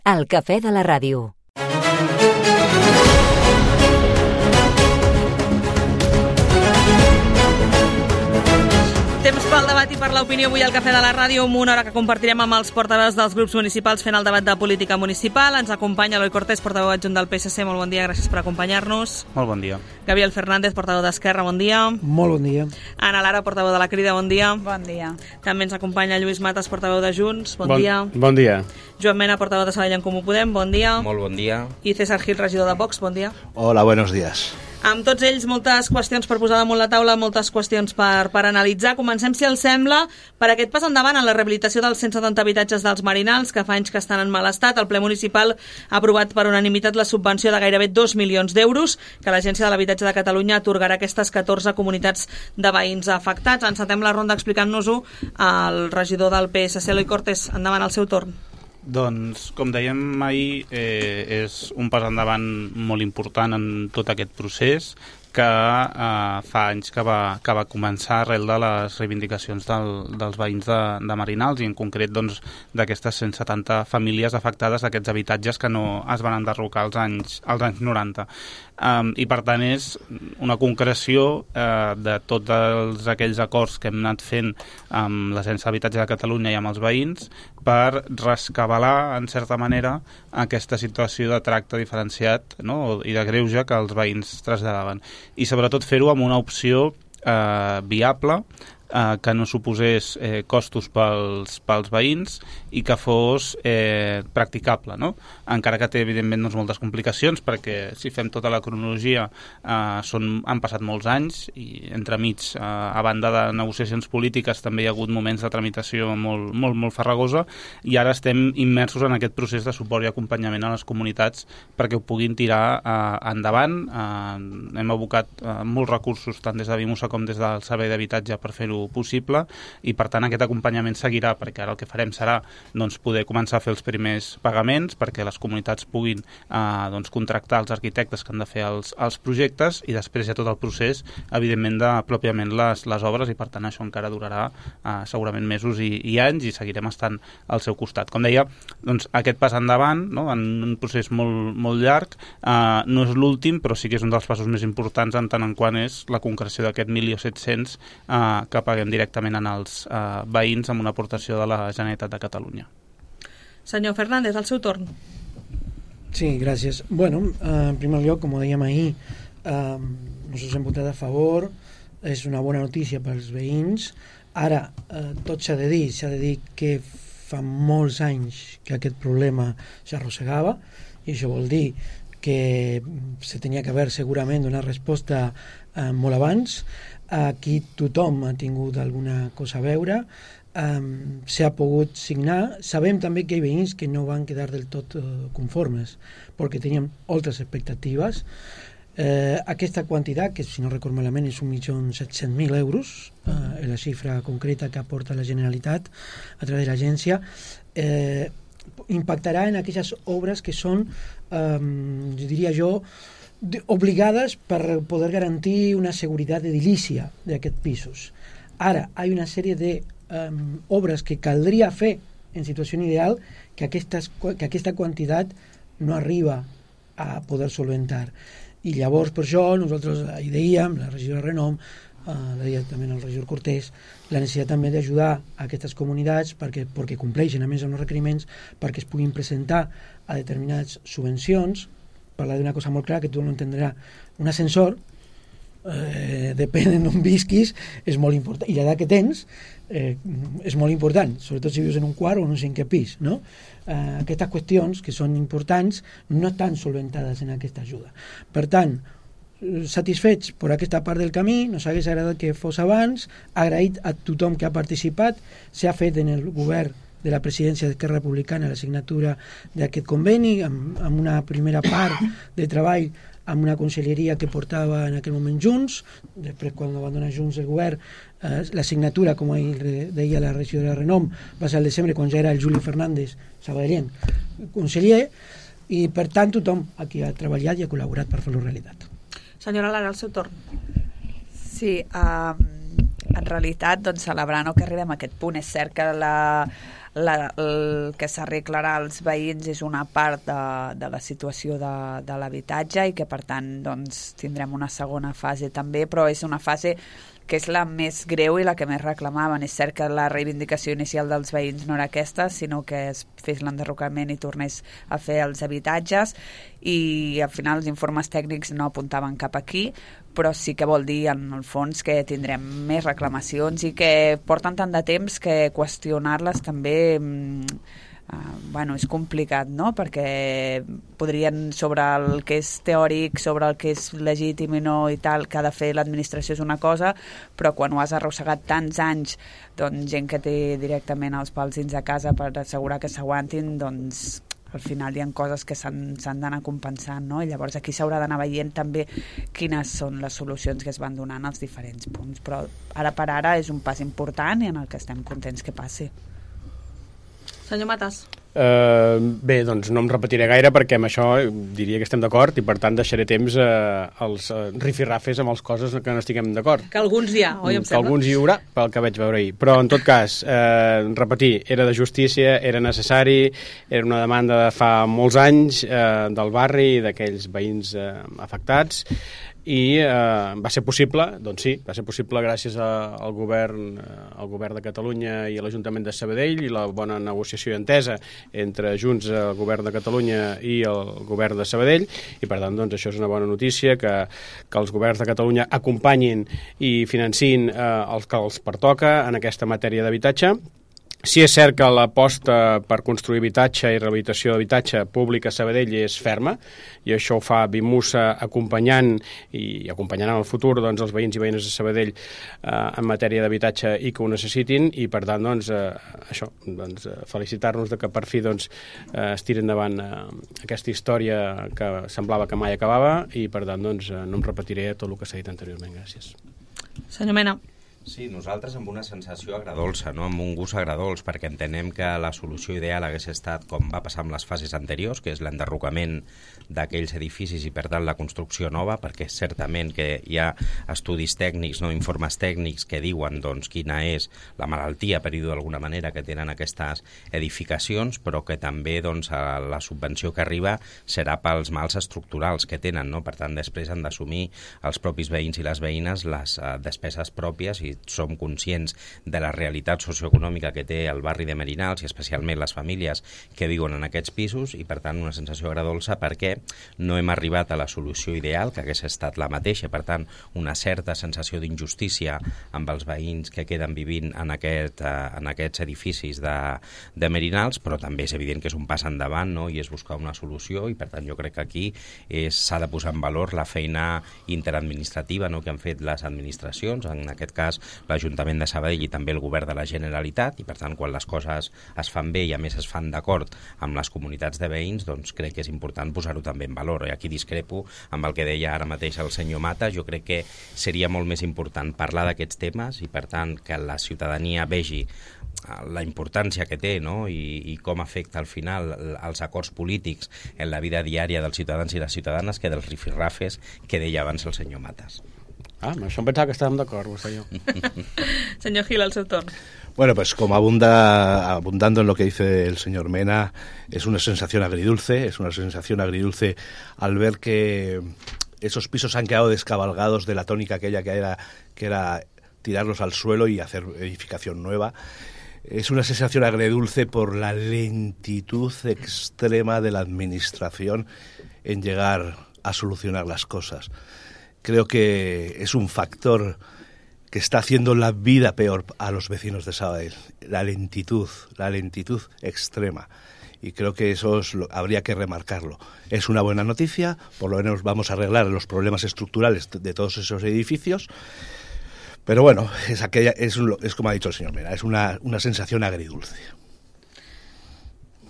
El cafè de la ràdio. Temps pel debat i per l'opinió avui al Cafè de la Ràdio, amb una hora que compartirem amb els portaveus dels grups municipals fent el debat de política municipal. Ens acompanya Eloi Cortés, portaveu adjunt del PSC. Molt bon dia, gràcies per acompanyar-nos. Molt bon dia. Gabriel Fernández, portaveu d'Esquerra, bon dia. Molt bon dia. Ana Lara, portaveu de la Crida, bon dia. Bon dia. També ens acompanya Lluís Matas, portaveu de Junts, bon dia. Bon dia. Joan Mena, portaveu de Sabadell en Comú Podem, bon dia. Molt bon dia. I César Gil, regidor de Vox, bon dia. Hola, buenos días. Amb tots ells, moltes qüestions per posar damunt la taula, moltes qüestions per analitzar. Comencem, si els sembla, per aquest pas endavant en la rehabilitació dels 170 habitatges dels Marinals, que fa anys que estan en mal estat. El ple municipal ha aprovat per unanimitat la subvenció de gairebé 2 milions d'euros que l'Agència de l'Habitatge de Catalunya atorgarà a aquestes 14 comunitats de veïns afectats. Encetem la ronda explicant-nos-ho al regidor del PSC, Eloi Cortés. Endavant, al seu torn. Doncs, com dèiem ahir, és un pas endavant molt important en tot aquest procés que fa anys que va començar arrel de les reivindicacions dels veïns de Marinals i en concret doncs, d'aquestes 170 famílies afectades d'aquests habitatges que no es van enderrocar als anys 90. I per tant és una concreció de tots aquells acords que hem anat fent amb l'Agència d'Habitatge de Catalunya i amb els veïns per rescabalar, en certa manera, aquesta situació de tracte diferenciat, no? I de greuge que els veïns traslladaven. I sobretot fer-ho amb una opció viable, que no suposés costos pels veïns i que fos practicable, no? Encara que té evidentment doncs, moltes complicacions, perquè si fem tota la cronologia han passat molts anys i entremig, a banda de negociacions polítiques, també hi ha hagut moments de tramitació molt farragosa i ara estem immersos en aquest procés de suport i acompanyament a les comunitats perquè ho puguin tirar endavant. Hem abocat molts recursos tant des de Vimusa com des del Servei d'Habitatge per fer-ho possible i per tant aquest acompanyament seguirà, perquè ara el que farem serà doncs, poder començar a fer els primers pagaments perquè les comunitats puguin doncs, contractar els arquitectes que han de fer els projectes i després hi ha tot el procés evidentment de pròpiament les obres i per tant això encara durarà segurament mesos i anys i seguirem estant al seu costat. Com deia, doncs, aquest pas endavant, no? En un procés molt llarg, no és l'últim però sí que és un dels passos més importants en tant en quant és la concreció d'aquest 1.700.000 que paguem directament en els veïns amb una aportació de la Generalitat de Catalunya. Senyor Fernández, al seu torn. Sí, gràcies. Bueno, en primer lloc, com ho dèiem ahir, nosaltres hem votat a favor, és una bona notícia pels veïns. Ara, tot s'ha de dir que fa molts anys que aquest problema s'arrossegava i això vol dir que se tenia que haver segurament donat resposta molt abans. Aquí tothom ha tingut alguna cosa a veure, s'ha pogut signar. Sabem també que hi ha veïns que no van quedar del tot conformes perquè tenien altres expectatives. Aquesta quantitat, que si no recordo malament és 1.700.000 euros, la xifra concreta que aporta la Generalitat a través de l'agència, impactarà en aquelles obres que són, diria jo, obligades per poder garantir una seguretat edilícia d'aquests pisos. Ara, hi ha una sèrie d'obres que caldria fer en situació ideal que aquesta quantitat no arriba a poder solventar. I llavors, per això, nosaltres hi dèiem, la regidora Renom, deia també el regidor Cortés, la necessitat també d'ajudar a aquestes comunitats perquè compleixen a més amb els requeriments perquè es puguin presentar a determinades subvencions. Parlar d'una cosa molt clara que tothom entendrà. Un ascensor, depèn d'on visquis, és molt important. I l'edat que tens és molt important, sobretot si vius en un quart o en un cinquè pis, no? Aquestes qüestions que són importants no estan solventades en aquesta ajuda. Per tant, satisfets per aquesta part del camí, nos hagués agradat que fos abans, agraït a tothom que ha participat, s'ha fet en el govern de la presidència d'Esquerra Republicana la signatura d'aquest conveni amb una primera part de treball amb una conselleria que portava en aquell moment Junts, després quan va donar Junts el govern, la signatura, com deia la regidora Renom, va ser al desembre quan ja era el Juli Fernández sabadellenc conseller, i per tant tothom aquí ha treballat i ha col·laborat per fer-lo realitat. Senyora Lara, al seu torn. Sí, en realitat, doncs, celebrant que arribem a aquest punt, és cert que el que s'arreglarà als veïns és una part de la situació de l'habitatge i que per tant doncs, tindrem una segona fase també, però és una fase que és la més greu i la que més reclamaven. És cert que la reivindicació inicial dels veïns no era aquesta, sinó que es fes l'enderrocament i tornés a fer els habitatges, i al final els informes tècnics no apuntaven cap aquí, però sí que vol dir en el fons que tindrem més reclamacions i que porten tant de temps que qüestionar-les també és complicat, no? Perquè podrien, sobre el que és teòric, sobre el que és legítim i no i tal, que ha de fer l'administració és una cosa, però quan ho has arrossegat tants anys, doncs gent que té directament els pals dins de casa per assegurar que s'aguantin, doncs al final hi ha coses que s'han d'anar compensant, no? I llavors aquí s'haurà d'anar veient també quines són les solucions que es van donant als diferents punts, però ara per ara és un pas important i en el que estem contents que passi. Senyor Matas. Bé, doncs no em repetiré gaire perquè amb això diria que estem d'acord i per tant deixaré temps als rifirrafes amb les coses que no estiguem d'acord. Que alguns hi ha, oi, em sembla? Que alguns hi haurà, pel que vaig veure ahir. Però en tot cas, repetir, era de justícia, era necessari, era una demanda de fa molts anys del barri i d'aquells veïns afectats, i va ser possible, doncs sí, va ser possible gràcies al govern de Catalunya i a l'Ajuntament de Sabadell i la bona negociació i entesa entre Junts, el govern de Catalunya i el govern de Sabadell, i per tant doncs això és una bona notícia, que els governs de Catalunya acompanyin i financin el que els pertoca en aquesta matèria d'habitatge. Sí, és cert que l'aposta per construir habitatge i rehabilitació d'habitatge públic a Sabadell és ferma, i això ho fa Bimusa acompanyant i acompanyant en el futur doncs, els veïns i veïnes de Sabadell en matèria d'habitatge i que ho necessitin, i per tant doncs, felicitar-nos de que per fi doncs, es tiri endavant aquesta història que semblava que mai acabava, i per tant doncs, no em repetiré tot el que s'ha dit anteriorment. Gràcies. Senyor Mena. Sí, nosaltres amb una sensació agradolça, no? Amb un gust agradolç, perquè entenem que la solució ideal hagués estat com va passar amb les fases anteriors, que és l'enderrocament d'aquells edificis i per tant la construcció nova, perquè certament que hi ha estudis tècnics, no, informes tècnics que diuen doncs, quina és la malaltia, per dir-ho d'alguna manera, que tenen aquestes edificacions, però que també doncs, la subvenció que arriba serà pels mals estructurals que tenen, no? Per tant, després han d'assumir els propis veïns i les veïnes les despeses pròpies, i som conscients de la realitat socioeconòmica que té el barri de Merinals i especialment les famílies que viuen en aquests pisos, i per tant una sensació agradolça perquè no hem arribat a la solució ideal, que hagués estat la mateixa, per tant una certa sensació d'injustícia amb els veïns que queden vivint en aquests edificis de Merinals, però també és evident que és un pas endavant, no? I és buscar una solució, i per tant jo crec que aquí s'ha de posar en valor la feina interadministrativa, no?, que han fet les administracions, en aquest cas l'Ajuntament de Sabadell i també el Govern de la Generalitat, i per tant quan les coses es fan bé i a més es fan d'acord amb les comunitats de veïns, doncs crec que és important posar-ho també en valor. I aquí discrepo amb el que deia ara mateix el senyor Mata. Jo crec que seria molt més important parlar d'aquests temes i per tant que la ciutadania vegi la importància que té, no? I com afecta al final els acords polítics en la vida diària dels ciutadans i les ciutadanes, que dels rifirrafes que deia abans el senyor Matas. Amb això em pensava que estàvem d'acord, vostè i jo. Señor Gil, al seu torn. Bueno, pues como abundando en lo que dice el señor Mena, es una sensación agridulce al ver que esos pisos han quedado descabalgados de la tónica aquella que era tirarlos al suelo y hacer edificación nueva. Es una sensación agridulce por la lentitud extrema de la administración en llegar a solucionar las cosas. Creo que es un factor que está haciendo la vida peor a los vecinos de Sabadell, la lentitud extrema. Y creo que eso habría que remarcarlo. Es una buena noticia, por lo menos vamos a arreglar los problemas estructurales de todos esos edificios, pero bueno, es como ha dicho el señor Mena, es una sensación agridulce.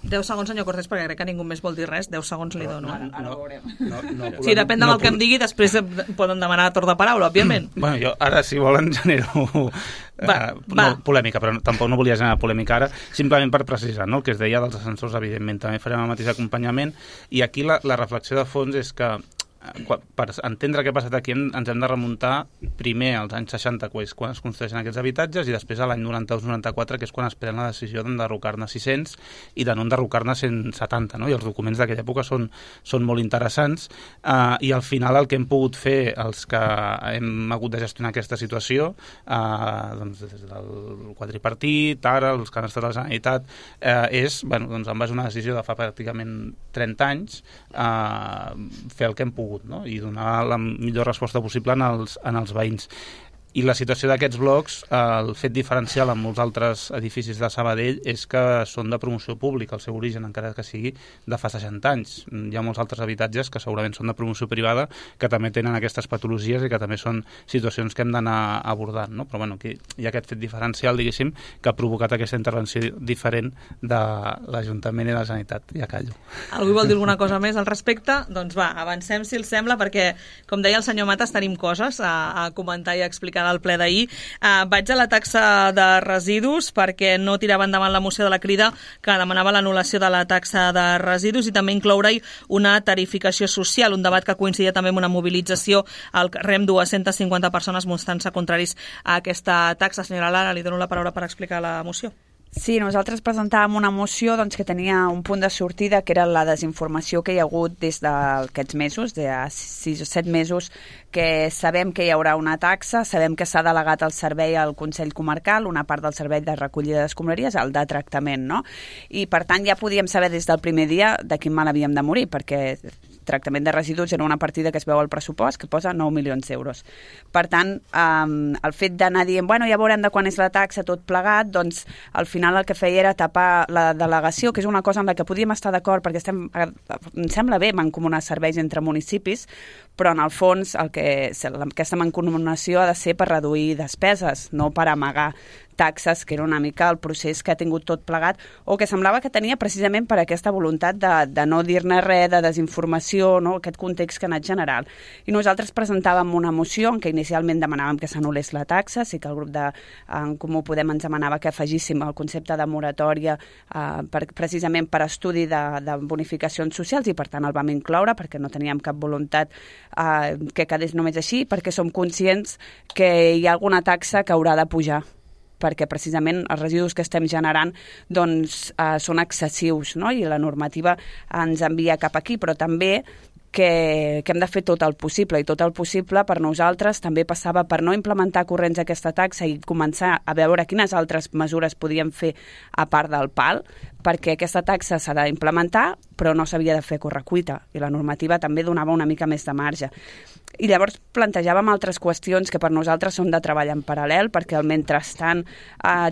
10 segons, senyor Cortés, perquè crec que ningú més vol dir res. 10 segons li dono. Ara ho veurem. Sí, depèn del que em digui, després poden demanar torn de paraula, òbviament. Bueno, jo ara, si volen, genero polèmica, però tampoc no volia generar polèmica ara, simplement per precisar, no? El que es deia dels ascensors, evidentment, també farem el mateix acompanyament, i aquí la reflexió de fons és que per entendre què ha passat aquí ens hem de remuntar primer als anys 60, quan es construeixen aquests habitatges, i després a l'any 92-94, que és quan es pren la decisió d'enderrocar-ne 600 i de no enderrocar-ne 170, no? I els documents d'aquella època són molt interessants, i al final el que hem pogut fer els que hem hagut de gestionar aquesta situació, doncs des del quadripartit, ara els que han estat a la Generalitat, és, doncs en base a una decisió de fa pràcticament 30 anys, fer el que hem pogut, no? I donar la millor resposta possible en els veïns. I la situació d'aquests blocs, el fet diferencial amb molts altres edificis de Sabadell és que són de promoció pública, el seu origen, encara que sigui de fa 60 anys. Hi ha molts altres habitatges que segurament són de promoció privada, que també tenen aquestes patologies i que també són situacions que hem d'anar abordant, no? Però bueno, aquí hi ha aquest fet diferencial, diguéssim, que ha provocat aquesta intervenció diferent de l'Ajuntament i la Generalitat. Ja callo. Algú vol dir alguna cosa més al respecte? Doncs va, avancem, si els sembla, perquè, com deia el senyor Matas, tenim coses a comentar i a explicar del ple d'ahir. Vaig a la taxa de residus perquè no tirava endavant la moció de la Crida que demanava l'anul·lació de la taxa de residus i també incloure-hi una tarificació social, un debat que coincidia també amb una mobilització al carrer amb 250 persones mostrant-se contraris a aquesta taxa. Senyora Lara, li dono la paraula per explicar la moció. Sí, nosaltres presentàvem una moció que tenia un punt de sortida, que era la desinformació que hi ha hagut des d'aquests mesos, de 6 o 7 mesos, que sabem que hi haurà una taxa, sabem que s'ha delegat el servei al Consell Comarcal, una part del servei de recollida d'escombraries, el de tractament, no? I per tant ja podíem saber des del primer dia de quin mal havíem de morir, perquè tractament de residus era una partida que es veu al pressupost que posa 9 milions d'euros. Per tant, el fet d'anar dient, bueno, ja veurem de quan és la taxa, tot plegat, doncs al final el que feia era tapar la delegació, que és una cosa amb la que podíem estar d'acord, perquè em sembla bé mancomunar serveis entre municipis, però en el fons aquesta mancomunació ha de ser per reduir despeses, no per amagar taxes, que era una mica el procés que ha tingut tot plegat, o que semblava que tenia precisament per aquesta voluntat de no dir-ne res, de desinformació, no? Aquest context que ha anat general. I nosaltres presentàvem una moció en què inicialment demanàvem que s'anul·lés la taxa, sí que el grup d'en Comú Podem ens demanava que afegíssim el concepte de moratòria precisament per estudi de bonificacions socials, i per tant el vam incloure perquè no teníem cap voluntat que quedés només així, perquè som conscients que hi ha alguna taxa que haurà de pujar, perquè precisament els residus que estem generant doncs, són excessius, no? I la normativa ens envia cap aquí, però també que hem de fer tot el possible, i tot el possible per nosaltres també passava per no implementar corrents aquesta taxa i començar a veure quines altres mesures podíem fer a part del PAL, perquè aquesta taxa s'ha d'implementar però no s'havia de fer a correcuita, i la normativa també donava una mica més de marge. I llavors plantejàvem altres qüestions que per nosaltres són de treball en paral·lel, perquè al mentrestant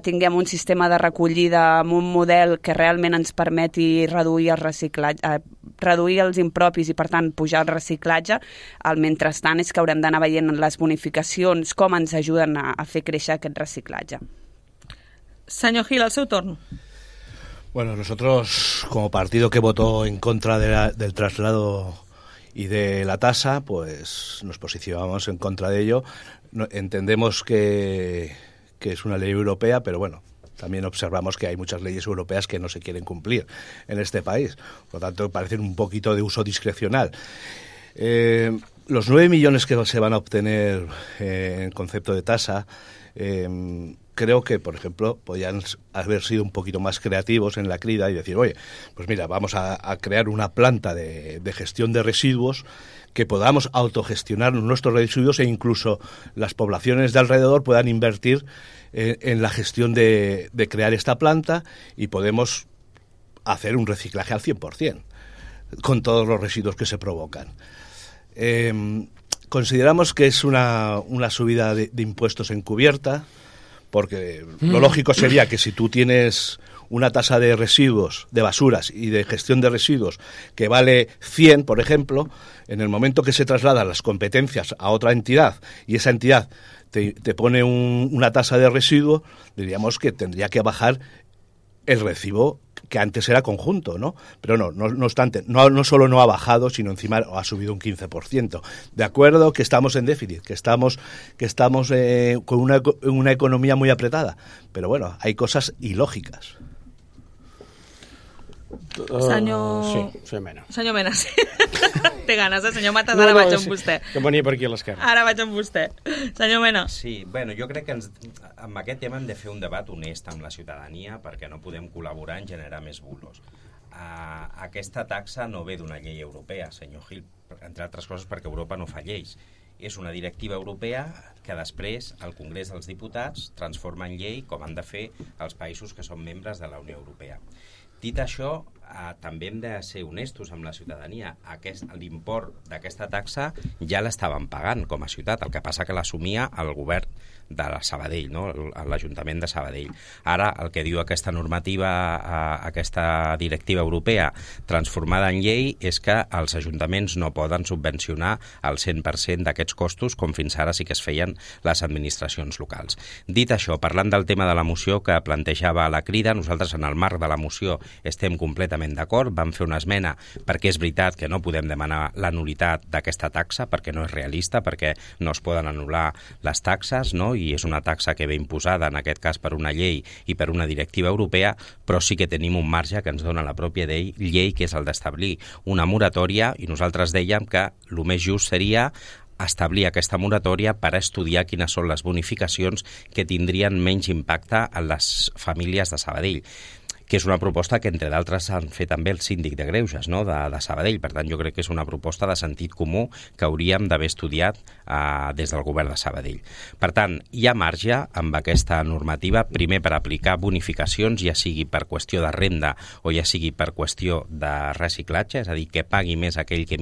tinguem un sistema de recollida amb un model que realment ens permeti reduir el reciclatge, reduir els impropis i per tant pujar el reciclatge. Al mentrestant és que haurem d'anar veient les bonificacions, com ens ajuden a fer créixer aquest reciclatge. Senyor Gil, al seu torn. Bueno, nosotros como partido que votó en contra del traslado y de la tasa, pues nos posicionamos en contra de ello. Entendemos que es una ley europea, pero bueno, también observamos que hay muchas leyes europeas que no se quieren cumplir en este país. Por lo tanto, parecen un poquito de uso discrecional. Los 9 millones que se van a obtener en concepto de tasa, creo que, por ejemplo, podían haber sido un poquito más creativos en la Crida y decir, oye, pues mira, vamos a crear una planta de gestión de residuos que podamos autogestionar nuestros residuos e incluso las poblaciones de alrededor puedan invertir en la gestión de crear esta planta y podemos hacer un reciclaje al 100% con todos los residuos que se provocan. Consideramos que es una subida de impuestos encubierta, porque lo lógico sería que si tú tienes una tasa de residuos, de basuras y de gestión de residuos que vale 100, por ejemplo, en el momento que se trasladan las competencias a otra entidad y esa entidad te pone una tasa de residuo, diríamos que tendría que bajar el recibo que antes era conjunto, ¿no? Pero no obstante, no solo no ha bajado, sino encima ha subido un 15%. De acuerdo que estamos en déficit, que estamos con una economía muy apretada, pero bueno, hay cosas ilógicas. Senyor... Sí, senyor Mena. Senyor Mena, sí. Té ganes, senyor Matas, ara vaig amb vostè. Que venia per aquí a l'esquerra. Ara vaig amb vostè. Senyor Mena. Sí, bueno, jo crec que amb aquest tema hem de fer un debat honest amb la ciutadania perquè no podem col·laborar en generar més bulos. Aquesta taxa no ve d'una llei europea, senyor Gil, entre altres coses perquè Europa no fa lleis. És una directiva europea que després el Congrés dels Diputats transforma en llei com han de fer els països que són membres de la Unió Europea. Dit això, també hem de ser honestos amb la ciutadania. L'import d'aquesta taxa ja l'estàvem pagant com a ciutat, el que passa que l'assumia el govern de Sabadell, no? l'Ajuntament de Sabadell. Ara, el que diu aquesta normativa, aquesta directiva europea transformada en llei, és que els ajuntaments no poden subvencionar el 100% d'aquests costos, com fins ara sí que es feien les administracions locals. Dit això, parlant del tema de la moció que plantejava la Crida, nosaltres en el marc de la moció estem completament d'acord, vam fer una esmena perquè és veritat que no podem demanar la nul·litat d'aquesta taxa, perquè no és realista, perquè no es poden anul·lar les taxes, no? I és una taxa que ve imposada, en aquest cas per una llei i per una directiva europea, però sí que tenim un marge que ens dona la pròpia llei, que és el d'establir una moratòria, i nosaltres dèiem que el més just seria establir aquesta moratòria per estudiar quines són les bonificacions que tindrien menys impacte en les famílies de Sabadell, que és una proposta que, entre d'altres, han fet també el síndic de Greuges, no?, de Sabadell. Per tant, jo crec que és una proposta de sentit comú que hauríem d'haver estudiat des del govern de Sabadell. Per tant, hi ha marge amb aquesta normativa, primer per aplicar bonificacions, ja sigui per qüestió de renda o ja sigui per qüestió de reciclatge, és a dir, que pagui més aquell que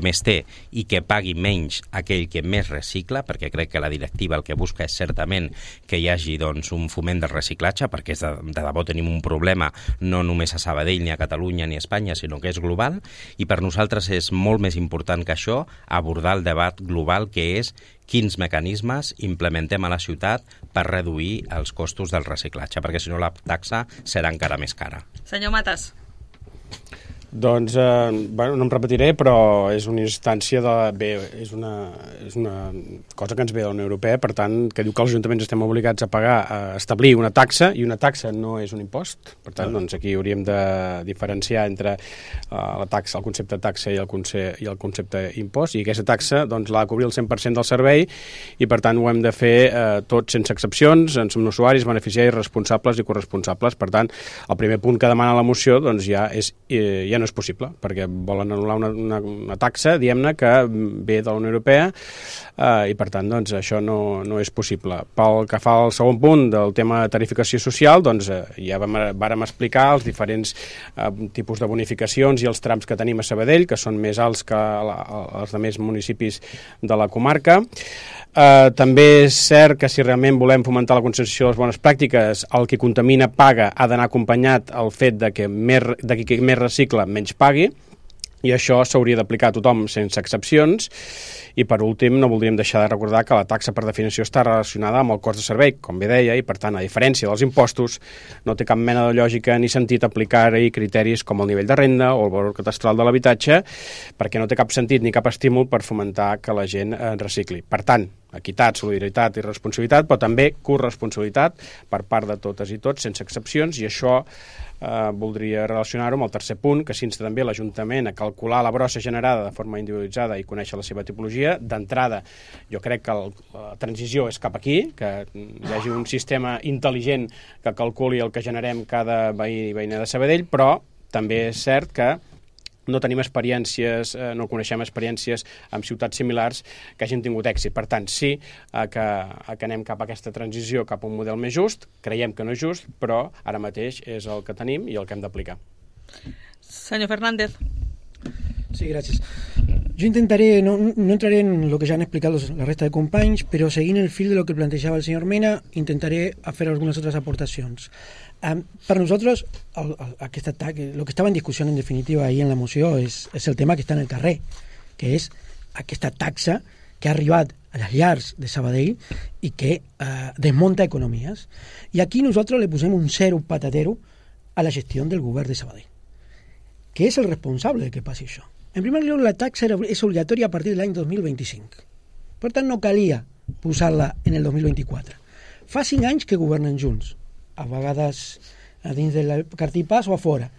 més té i que pagui menys aquell que més recicla, perquè crec que la directiva el que busca és certament que hi hagi doncs, un foment del reciclatge, perquè de debò tenim un problema no només a Sabadell, ni a Catalunya, ni a Espanya, sinó que és global, i per nosaltres és molt més important que això abordar el debat global, que és quins mecanismes implementem a la ciutat per reduir els costos del reciclatge, perquè si no la taxa serà encara més cara. Senyor Matas. Doncs, bueno, no em repetiré, però és una instància és una cosa que ens ve de la Unió Europea, per tant, que diu que els ajuntaments estem obligats a pagar, a establir una taxa, i una taxa no és un impost. Per tant, doncs aquí hauríem de diferenciar entre la taxa, el concepte taxa i el concepte impost, i aquesta taxa doncs, l'ha de cobrir el 100% del servei, i per tant ho hem de fer tots sense excepcions, en som usuaris, beneficiaris, responsables i corresponsables. Per tant, el primer punt que demana la moció doncs, ja no és possible, perquè volen anul·lar una taxa, diguem-ne, que ve de la Unió Europea, i per tant doncs, això no és possible. Pel que fa al segon punt del tema de tarificació social, doncs, ja vàrem explicar els diferents tipus de bonificacions i els trams que tenim a Sabadell, que són més alts que els altres municipis de la comarca. També és cert que si realment volem fomentar la conscienciació de les bones pràctiques, el que contamina paga ha d'anar acompanyat al fet de que qui més recicla menys pagui, i això s'hauria d'aplicar a tothom sense excepcions. I per últim, no voldríem deixar de recordar que la taxa per definició està relacionada amb el cost de servei, com bé deia, i per tant, a diferència dels impostos, no té cap mena de lògica ni sentit aplicar-hi criteris com el nivell de renda o el valor catastral de l'habitatge, perquè no té cap sentit ni cap estímul per fomentar que la gent recicli. Per tant, equitat, solidaritat i responsabilitat, però també corresponsabilitat per part de totes i tots, sense excepcions, i això voldria relacionar-ho amb el tercer punt, que s'insta també l'Ajuntament a calcular la brossa generada de forma individualitzada i conèixer la seva tipologia. D'entrada, jo crec que la transició és cap aquí, que hi hagi un sistema intel·ligent que calculi el que generem cada veí i veïna de Sabadell, però també és cert que no tenim experiències, no coneixem experiències amb ciutats similars que hagin tingut èxit. Per tant, sí que anem cap a aquesta transició, cap a un model més just. Creiem que no és just, però ara mateix és el que tenim i el que hem d'aplicar. Senyor Fernández. Sí, gràcies. Jo intentaré, no entraré en lo que ja han explicat la resta de companys, però seguint el fil de lo que plantejava el senyor Mena, intentaré fer algunes altres aportacions. Per nosaltres, aquest atac, el que estava en discussió en definitiva ahir en la moció és el tema que està en el carrer, que és aquesta taxa que ha arribat a les llars de Sabadell i que desmunta economies. I aquí nosaltres le posem un zero patatero a la gestió del govern de Sabadell, que és el responsable de que passi això. En primer lloc, la taxa és obligatòria a partir de l'any 2025. Per tant, no calia posar-la en el 2024. Fa 5 anys que governen junts, a vegades a dins del cartipàs o a fora.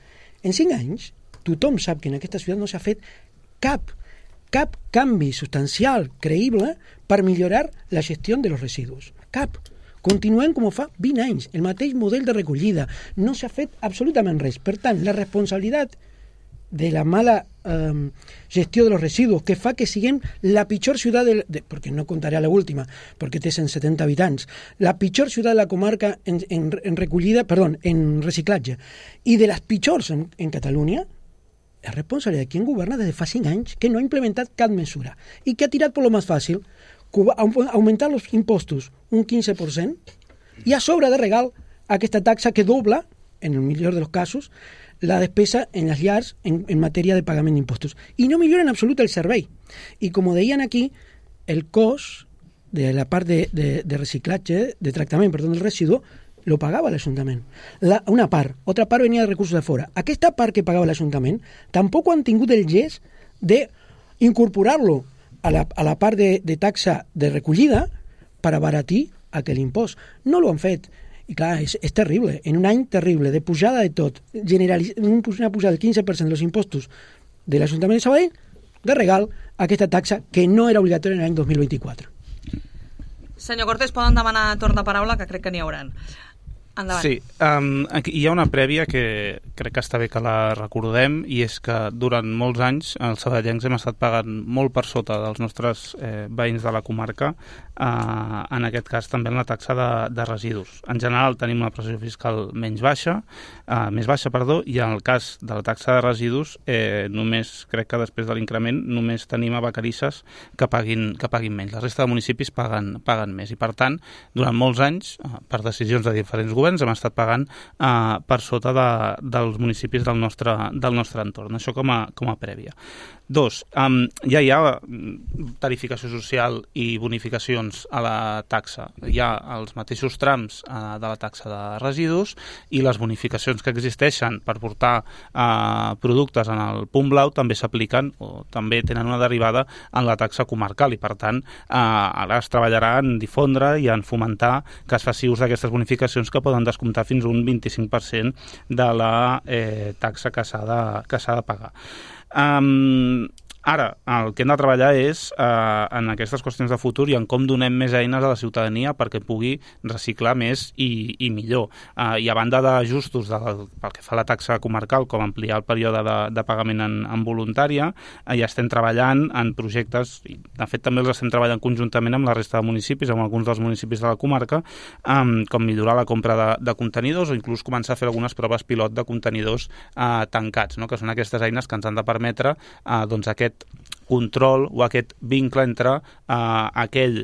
En 5 anys, tothom sap que en aquesta ciutat no s'ha fet cap canvi substancial, creïble, per millorar la gestió de los residus. Cap. Continuem com fa 20 anys, el mateix model de recollida. No s'ha fet absolutament res. Per tant, la responsabilitat de la mala gestió de los residuos que fa que siguem la pitjor ciutat perquè no contaré a l'última perquè té 170 habitants, la pitjor ciutat de la comarca en recollida, en reciclatge, i de les pitjors en Catalunya, és responsabilitat de qui governa des de fa 5 anys, que no ha implementat cap mesura i que ha tirat per lo més fàcil, augmentar els impostos un 15% i a sobre de regal aquesta taxa que dobla, en el millor dels casos, la despesa en les llars en matèria de pagament d'impostos. I no millora en absolut el servei. I com deien aquí, el cost de la part de reciclatge, de tractament, del residu, lo pagava l'Ajuntament. Una part. Otra part venia de recursos de fora. Aquesta part que pagava l'Ajuntament tampoc han tingut el gest d'incorporar-lo a la part de taxa de recollida per abaratir aquell impost. No lo han fet. I clar, és terrible. En un any terrible de pujada de tot, una pujada del 15% dels impostos de l'Ajuntament de Sabadell, de regal aquesta taxa que no era obligatòria en l'any 2024. Senyor Cortés, poden demanar torn de paraula, que crec que n'hi hauran. Endavant. Sí, aquí hi ha una prèvia que crec que està bé que la recordem, i és que durant molts anys els sabadellencs hem estat pagant molt per sota dels nostres veïns de la comarca, en aquest cas també en la taxa de residus. En general tenim una pressió fiscal més baixa, i en el cas de la taxa de residus només, crec que després de l'increment, només tenim a Vacarisses que paguin menys. La resta de municipis paguen més, i per tant, durant molts anys, per decisions de diferents governs, hem estat pagant per sota dels municipis del nostre entorn. Això com a prèvia. 2, ja hi ha tarificació social i bonificacions a la taxa. Hi ha els mateixos trams de la taxa de residus, i les bonificacions que existeixen per portar productes en el punt blau també s'apliquen, o també tenen una derivada en la taxa comarcal, i per tant ara es treballarà en difondre i en fomentar que es faci ús d'aquestes bonificacions, que poden descomptar fins a un 25% de la taxa que s'ha de pagar. Ara, el que hem de treballar és en aquestes qüestions de futur i en com donem més eines a la ciutadania perquè pugui reciclar més i millor. I a banda d'ajustos pel que fa a la taxa comarcal, com ampliar el període de pagament en voluntària, ja estem treballant en projectes, i de fet també els estem treballant conjuntament amb la resta de municipis, amb alguns dels municipis de la comarca, com millorar la compra de contenidors, o inclús començar a fer algunes proves pilot de contenidors tancats, que són aquestes eines que ens han de permetre aquest control o aquest vincle entre aquell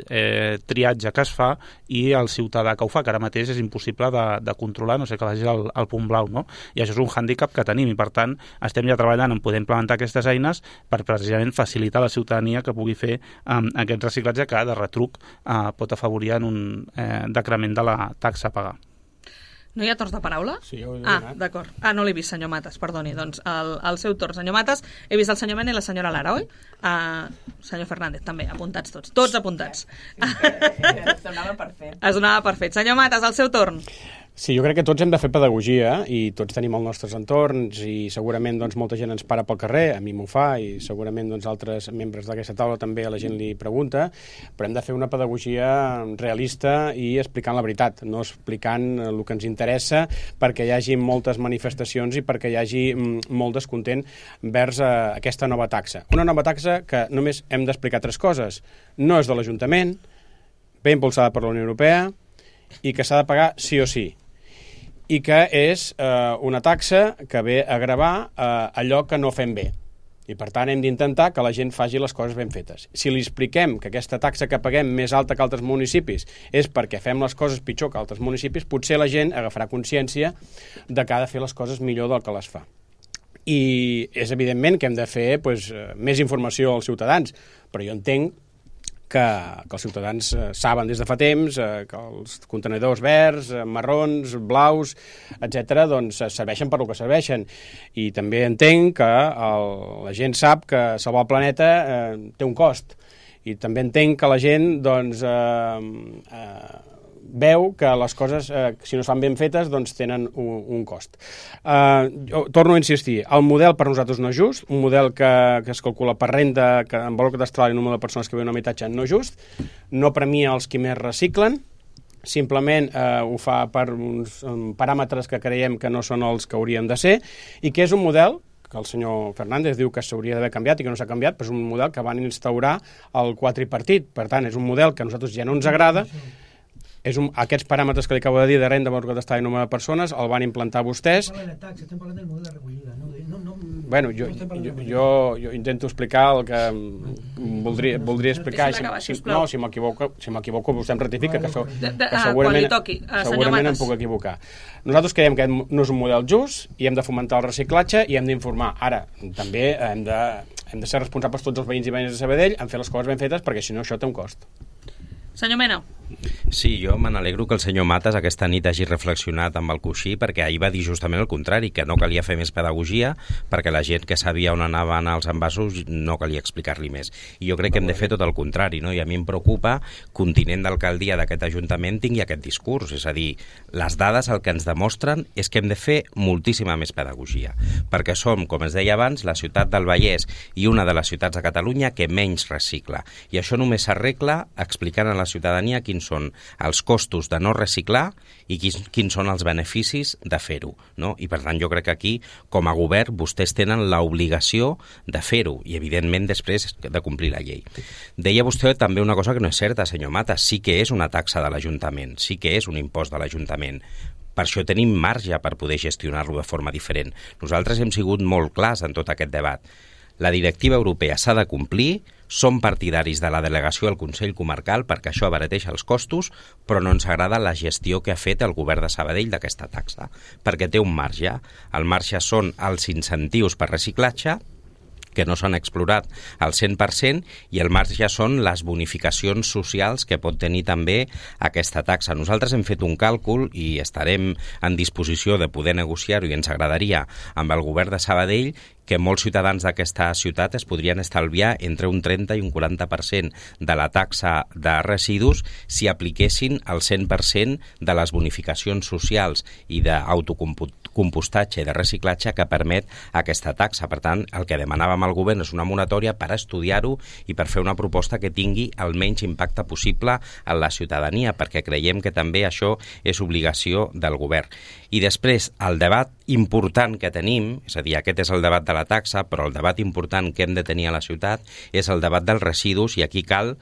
triatge que es fa i el ciutadà que ho fa, que ara mateix és impossible de controlar, no sé, que vagi al punt blau, no? I això és un hàndicap que tenim, i per tant estem ja treballant en poder implementar aquestes eines per precisament facilitar a la ciutadania que pugui fer aquest reciclatge, que de retruc pot afavorir en un decrement de la taxa a pagar. No hi ha torns de paraula? Sí, ho he donat. D'acord. No l'he vist, senyor Matas, perdoni. Doncs el seu torn, senyor Matas. He vist el senyor Mena i la senyora Lara, oi? Senyor Fernández, també, apuntats tots. Tots apuntats. Es donava per fet. Es donava per fet. Senyor Matas, el seu torn. Sí, jo crec que tots hem de fer pedagogia, i tots tenim els nostres entorns, i segurament molta gent ens para pel carrer, a mi m'ho fa, i segurament altres membres d'aquesta taula també a la gent li pregunta, però hem de fer una pedagogia realista i explicant la veritat, no explicant el que ens interessa perquè hi hagi moltes manifestacions i perquè hi hagi molt descontent vers aquesta nova taxa. Una nova taxa que només hem d'explicar 3 coses. No és de l'Ajuntament, ve impulsada per la Unió Europea, i que s'ha de pagar sí o sí, i que és una taxa que ve a gravar allò que no fem bé. I per tant hem d'intentar que la gent faci les coses ben fetes. Si li expliquem que aquesta taxa que paguem més alta que altres municipis és perquè fem les coses pitjor que altres municipis, potser la gent agafarà consciència de que ha de fer les coses millor del que les fa. I és evidentment que hem de fer més informació als ciutadans, però jo entenc que els ciutadans saben des de fa temps que els contenidors verds, marrons, blaus, etc., serveixen per lo que serveixen. I també entenc que la gent sap que salvar el planeta té un cost. I també entenc que la gent veu que les coses, si no estan ben fetes, doncs tenen un cost. Jo torno a insistir, el model per nosaltres no és just, un model que es calcula per renda, que en valor catastral i número de persones que viuen en un habitatge no és just, no premia els qui més reciclen, simplement ho fa per uns paràmetres que creiem que no són els que haurien de ser, i que és un model que el senyor Fernández diu que s'hauria d'haver canviat i que no s'ha canviat, però és un model que van instaurar el quadripartit. Per tant, és un model que a nosaltres ja no ens agrada. Aquests paràmetres que li acabo de dir de renda, valor catastral i número de persones el van implantar vostès. Estem parlant del model de recollida, no? Bueno, jo intento explicar el que voldria explicar. Si m'equivoco vostè em ratifica, que segurament em puc equivocar. Nosaltres creiem que no és un model just i hem de fomentar el reciclatge i hem d'informar. Ara, també hem de ser responsables tots els veïns i veïnes de Sabadell en fer les coses ben fetes, perquè si no això té un cost. Senyor Mena. Sí, jo me n'alegro que el senyor Matas aquesta nit hagi reflexionat amb el coixí, perquè ahir va dir justament el contrari, que no calia fer més pedagogia, perquè la gent que sabia on anaven els envasos no calia explicar-li més. I jo crec que hem de fer tot el contrari, no? I a mi em preocupa que un tinent d'alcaldia d'aquest ajuntament tingui aquest discurs, és a dir, les dades el que ens demostren és que hem de fer moltíssima més pedagogia, perquè som, com es deia abans, la ciutat del Vallès i una de les ciutats de Catalunya que menys recicla. I això només s'arregla explicant a la ciutadania quins són els costos de no reciclar i quins són els beneficis de fer-ho, no? I per tant jo crec que aquí, com a govern, vostès tenen l'obligació de fer-ho i evidentment després de complir la llei. Deia vostè també una cosa que no és certa, senyor Mata, sí que és una taxa de l'Ajuntament, sí que és un impost de l'Ajuntament. Per això tenim marge per poder gestionar-lo de forma diferent. Nosaltres hem sigut molt clars en tot aquest debat. La directiva europea s'ha de complir, som partidaris de la delegació al Consell Comarcal perquè això abarateix els costos, però no ens agrada la gestió que ha fet el govern de Sabadell d'aquesta taxa, perquè té un marge. El marge són els incentius per reciclatge, que no s'han explorat al 100%, i el marge són les bonificacions socials que pot tenir també aquesta taxa. Nosaltres hem fet un càlcul i estarem en disposició de poder negociar-ho i ens agradaria amb el govern de Sabadell que molts ciutadans d'aquesta ciutat es podrien estalviar entre un 30 i un 40% de la taxa de residus si apliquessin el 100% de les bonificacions socials i d'autocompostatge i de reciclatge que permet aquesta taxa. Per tant, el que demanàvem al govern és una moratòria per estudiar-ho i per fer una proposta que tingui el menys impacte possible en la ciutadania, perquè creiem que també això és obligació del govern. I després, el debat important que tenim, és a dir, aquest és el debat de la taxa, però el debat important que hem de tenir a la ciutat és el debat dels residus, i aquí cal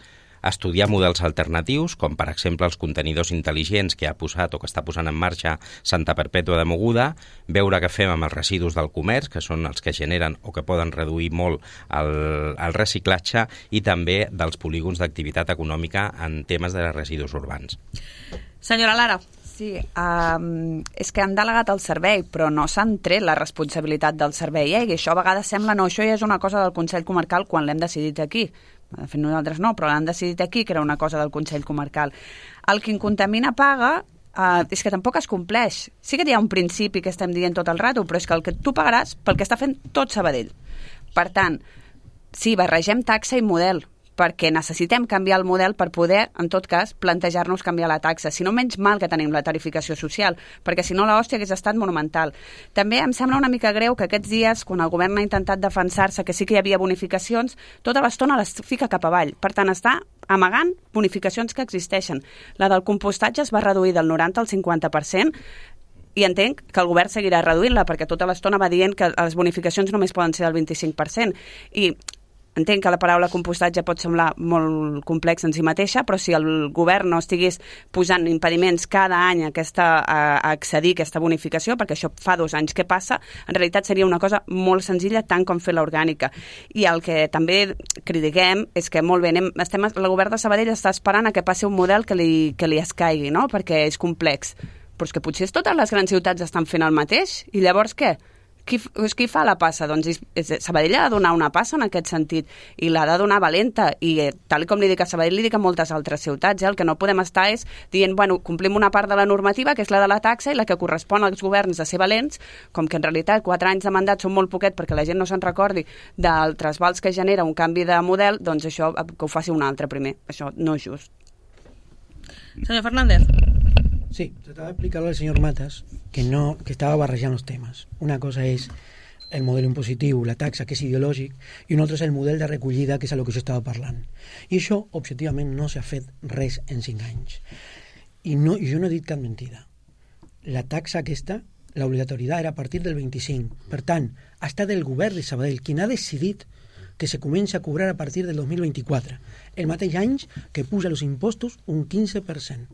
estudiar models alternatius, com per exemple els contenidors intel·ligents que ha posat o que està posant en marxa Santa Perpètua de Mogoda, veure què fem amb els residus del comerç, que són els que generen o que poden reduir molt el reciclatge, i també dels polígons d'activitat econòmica en temes de residus urbans. Senyora Lara. Sí, és que han delegat el servei, però no s'han tret la responsabilitat del servei, i això a vegades sembla, no, això ja és una cosa del Consell Comarcal quan l'hem decidit aquí. De fet, nosaltres no, però l'han decidit aquí, que era una cosa del Consell Comarcal. El qui contamina paga, és que tampoc es compleix. Sí que hi ha un principi que estem dient tot el rato, però és que el que tu pagaràs pel que està fent tot Sabadell. Per tant, sí, barregem taxa i model, perquè necessitem canviar el model per poder, en tot cas, plantejar-nos canviar la taxa. Si no, menys mal que tenim la tarificació social, perquè si no l'hòstia hagués estat monumental. També em sembla una mica greu que aquests dies, quan el govern ha intentat defensar-se que sí que hi havia bonificacions, tota l'estona les fica cap avall. Per tant, està amagant bonificacions que existeixen. La del compostatge es va reduir del 90 al 50%, i entenc que el govern seguirà reduint-la, perquè tota l'estona va dient que les bonificacions només poden ser del 25%. I entenc que la paraula compostatge pot semblar molt complex en si mateixa, però si el govern no estigués posant impediments cada any a accedir a aquesta bonificació, perquè això fa 2 anys que passa, en realitat seria una cosa molt senzilla, tant com fer l'orgànica. I el que també critiquem és que, molt bé, el govern de Sabadell està esperant a que passi un model que li escaigui, no? Perquè és complex. Però és que potser totes les grans ciutats estan fent el mateix, i llavors què? Qui fa la passa? Doncs Sabadell ha de donar una passa en aquest sentit, i l'ha de donar valenta, i tal com li dic a Sabadell, li dic a moltes altres ciutats. El que no podem estar és dient, bueno, complim una part de la normativa, que és la de la taxa, i la que correspon als governs de ser valents, com que en realitat 4 anys de mandat són molt poquet perquè la gent no se'n recordi del trasbals que genera un canvi de model, doncs això que ho faci un altre primer. Això no és just. Senyor Fernández. Sí, trataba de explicarle al señor Matas que estaba barrejant los temes. Una cosa és el model impositiu, la taxa, que és ideològic, i un altre és el model de recollida, que és el que jo estava parlant. I això, objectivament, no s'ha fet res en 5 anys. I jo no he dit cap mentida. La taxa aquesta, l'obligatorietat era a partir del 25. Per tant, ha estat el govern de Sabadell qui ha decidit que se comença a cobrar a partir del 2024, el mateix any que puja els impostos un 15%.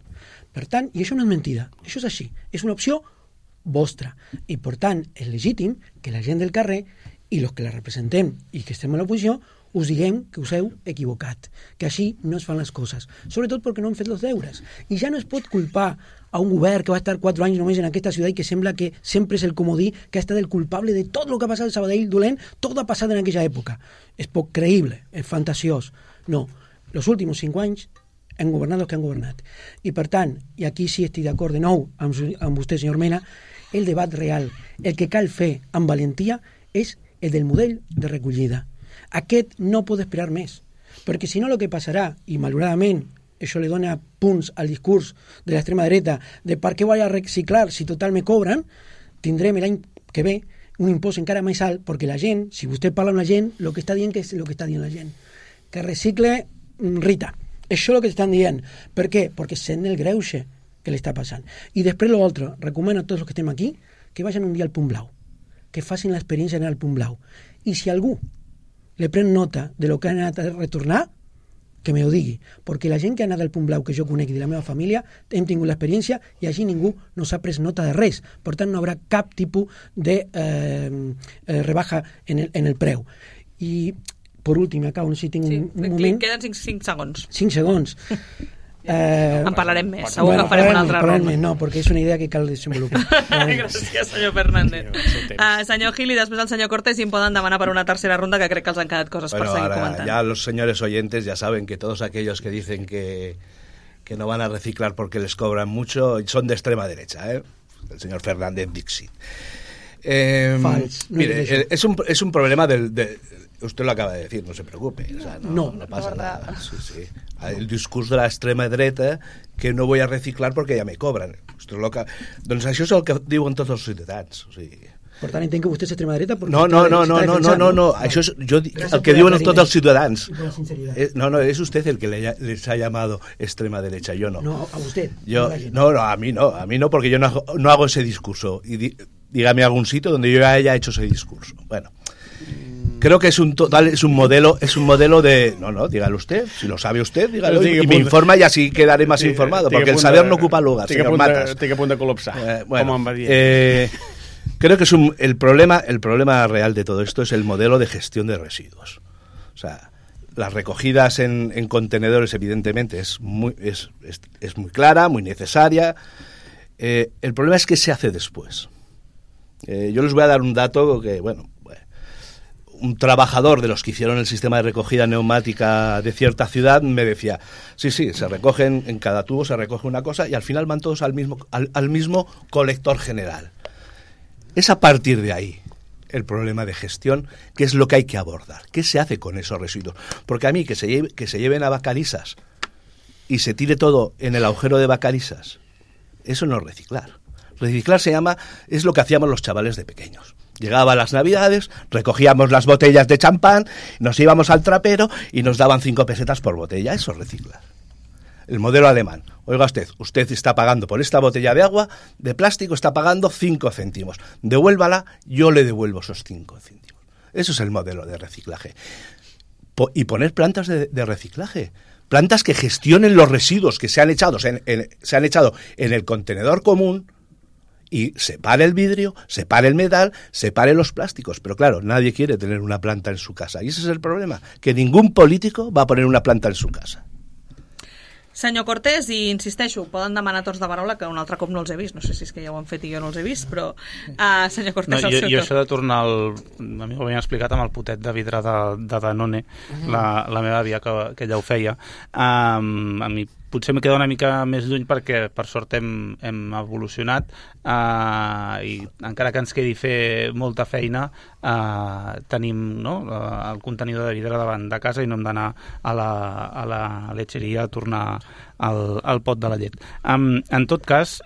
Per tant, i això no és mentida, això és així, és una opció vostra, i per tant és legítim que la gent del carrer i els que la representem i que estem a l'oposició us diguem que us heu equivocat, que així no es fan les coses, sobretot perquè no han fet els deures. I ja no es pot culpar a un govern que va estar 4 anys només en aquesta ciutat i que sembla que sempre és el comodí que ha estat el culpable de tot el que ha passat al Sabadell dolent, tot ha passat en aquella època. És poc creïble, és fantasiós. No, els últims 5 anys han governat els que han governat. I per tant, i aquí sí estic d'acord de nou amb vostè, senyor Mena, el debat real, el que cal fer amb valentia és el del model de recollida. Aquest no pot esperar més, perquè si no el que passarà, i malauradament això li dona punts al discurs de l'extrema dreta de per què vaig a reciclar si total me cobren, tindrem l'any que ve un impost encara més alt, perquè la gent, si vostè parla amb la gent, el que està dient que és el que està dient la gent, que recicle Rita. Això és el que estan dient. Per què? Perquè sent el greuge que li està passant. I després l'altre, recomano a tots els que estem aquí que vagin un dia al Punt Blau, que facin l'experiència d'anar al Punt Blau. I si algú le pren nota de lo que ha anat a retornar, que me ho digui, perquè la gent que ha anat al Punt Blau que jo conec i de la meva família hem tingut l'experiència i així ningú no s'ha pres nota de res, per tant no haurà cap tipus de rebaja en el preu. I per últim, acabo, no sé si tinc un moment... Queden 5 segons. 5 segons. En parlarem més, segur que farem una altra ronda. No, perquè és una idea que cal desenvolupar. Gràcies, senyor Fernández. Senyor Gil, i després el senyor Cortés, si em poden demanar per una tercera ronda, que crec que els han quedat coses per seguir comentant. Ya los señores oyentes ya saben que todos aquellos que dicen que no van a reciclar porque les cobran mucho son de extrema derecha, ¿eh? El señor Fernández Dixit. Mire, es un problema usted lo acaba de decir, no se preocupe, o sea, no pasa nada. Sí. El discurso de la extrema dreta que no voy a reciclar porque ya me cobran. Doncs això és el que diuen tots els ciutadans. O sigui... Per tant, entenc que vostè és extrema dreta? No. Això és el que diuen tots els ciutadans. No, es usted el que les ha llamado extrema derecha, yo no. No, a usted. A mí no, porque yo no hago ese discurso. Y dígame algún sitio donde yo haya hecho ese discurso. Bueno, creo que es un modelo de... No, dígalo usted, si lo sabe usted, dígalo y me informa y así quedaré más informado, porque el saber no ocupa lugar, señor Matas. Estic a punt de col·lapsar, bueno, com em va dir. Creo que el problema real de todo esto es el modelo de gestión de residuos. O sea, las recogidas en contenedores evidentemente es muy clara, muy necesaria. El problema es que se hace después. Yo les voy a dar un dato que, un trabajador de los que hicieron el sistema de recogida neumática de cierta ciudad me decía, sí, se recogen, en cada tubo se recoge una cosa y al final van todos al mismo colector general. Es a partir de ahí el problema de gestión, que es lo que hay que abordar. ¿Qué se hace con esos residuos? Porque a mí que se lleven a Vacarisas y se tire todo en el agujero de Vacarisas, eso no es reciclar. Reciclar es lo que hacíamos los chavales de pequeños. Llegaban las Navidades, recogíamos las botellas de champán, nos íbamos al trapero y nos daban 5 pesetas por botella. Eso es reciclar. El modelo alemán. Oiga usted está pagando por esta botella de agua, de plástico, está pagando 5 céntimos. Devuélvala, yo le devuelvo esos 5 céntimos. Eso es el modelo de reciclaje. Y poner plantas de reciclaje. Plantas que gestionen los residuos que se han echado en el contenedor común y separe el vidrio, separe el metal, separe los plásticos. Pero claro, nadie quiere tener una planta en su casa. Y ese es el problema, que ningún político va a poner una planta en su casa. Senyor Cortés, i insisteixo, poden demanar tots de paraula, que un altre cop no els he vist, no sé si és que ja ho han fet i jo no els he vist, però senyor Cortés, el seu jo això de tornar a mi ho havien explicat amb el potet de vidre de Danone, la meva àvia que ja ho feia. A mi potser me queda una mica més lluny perquè per sort hem evolucionat i encara que ens quedi fer molta feina tenim el contenidor de vidre davant de casa i no hem d'anar a la letxeria a tornar el pot de la llet. En tot cas,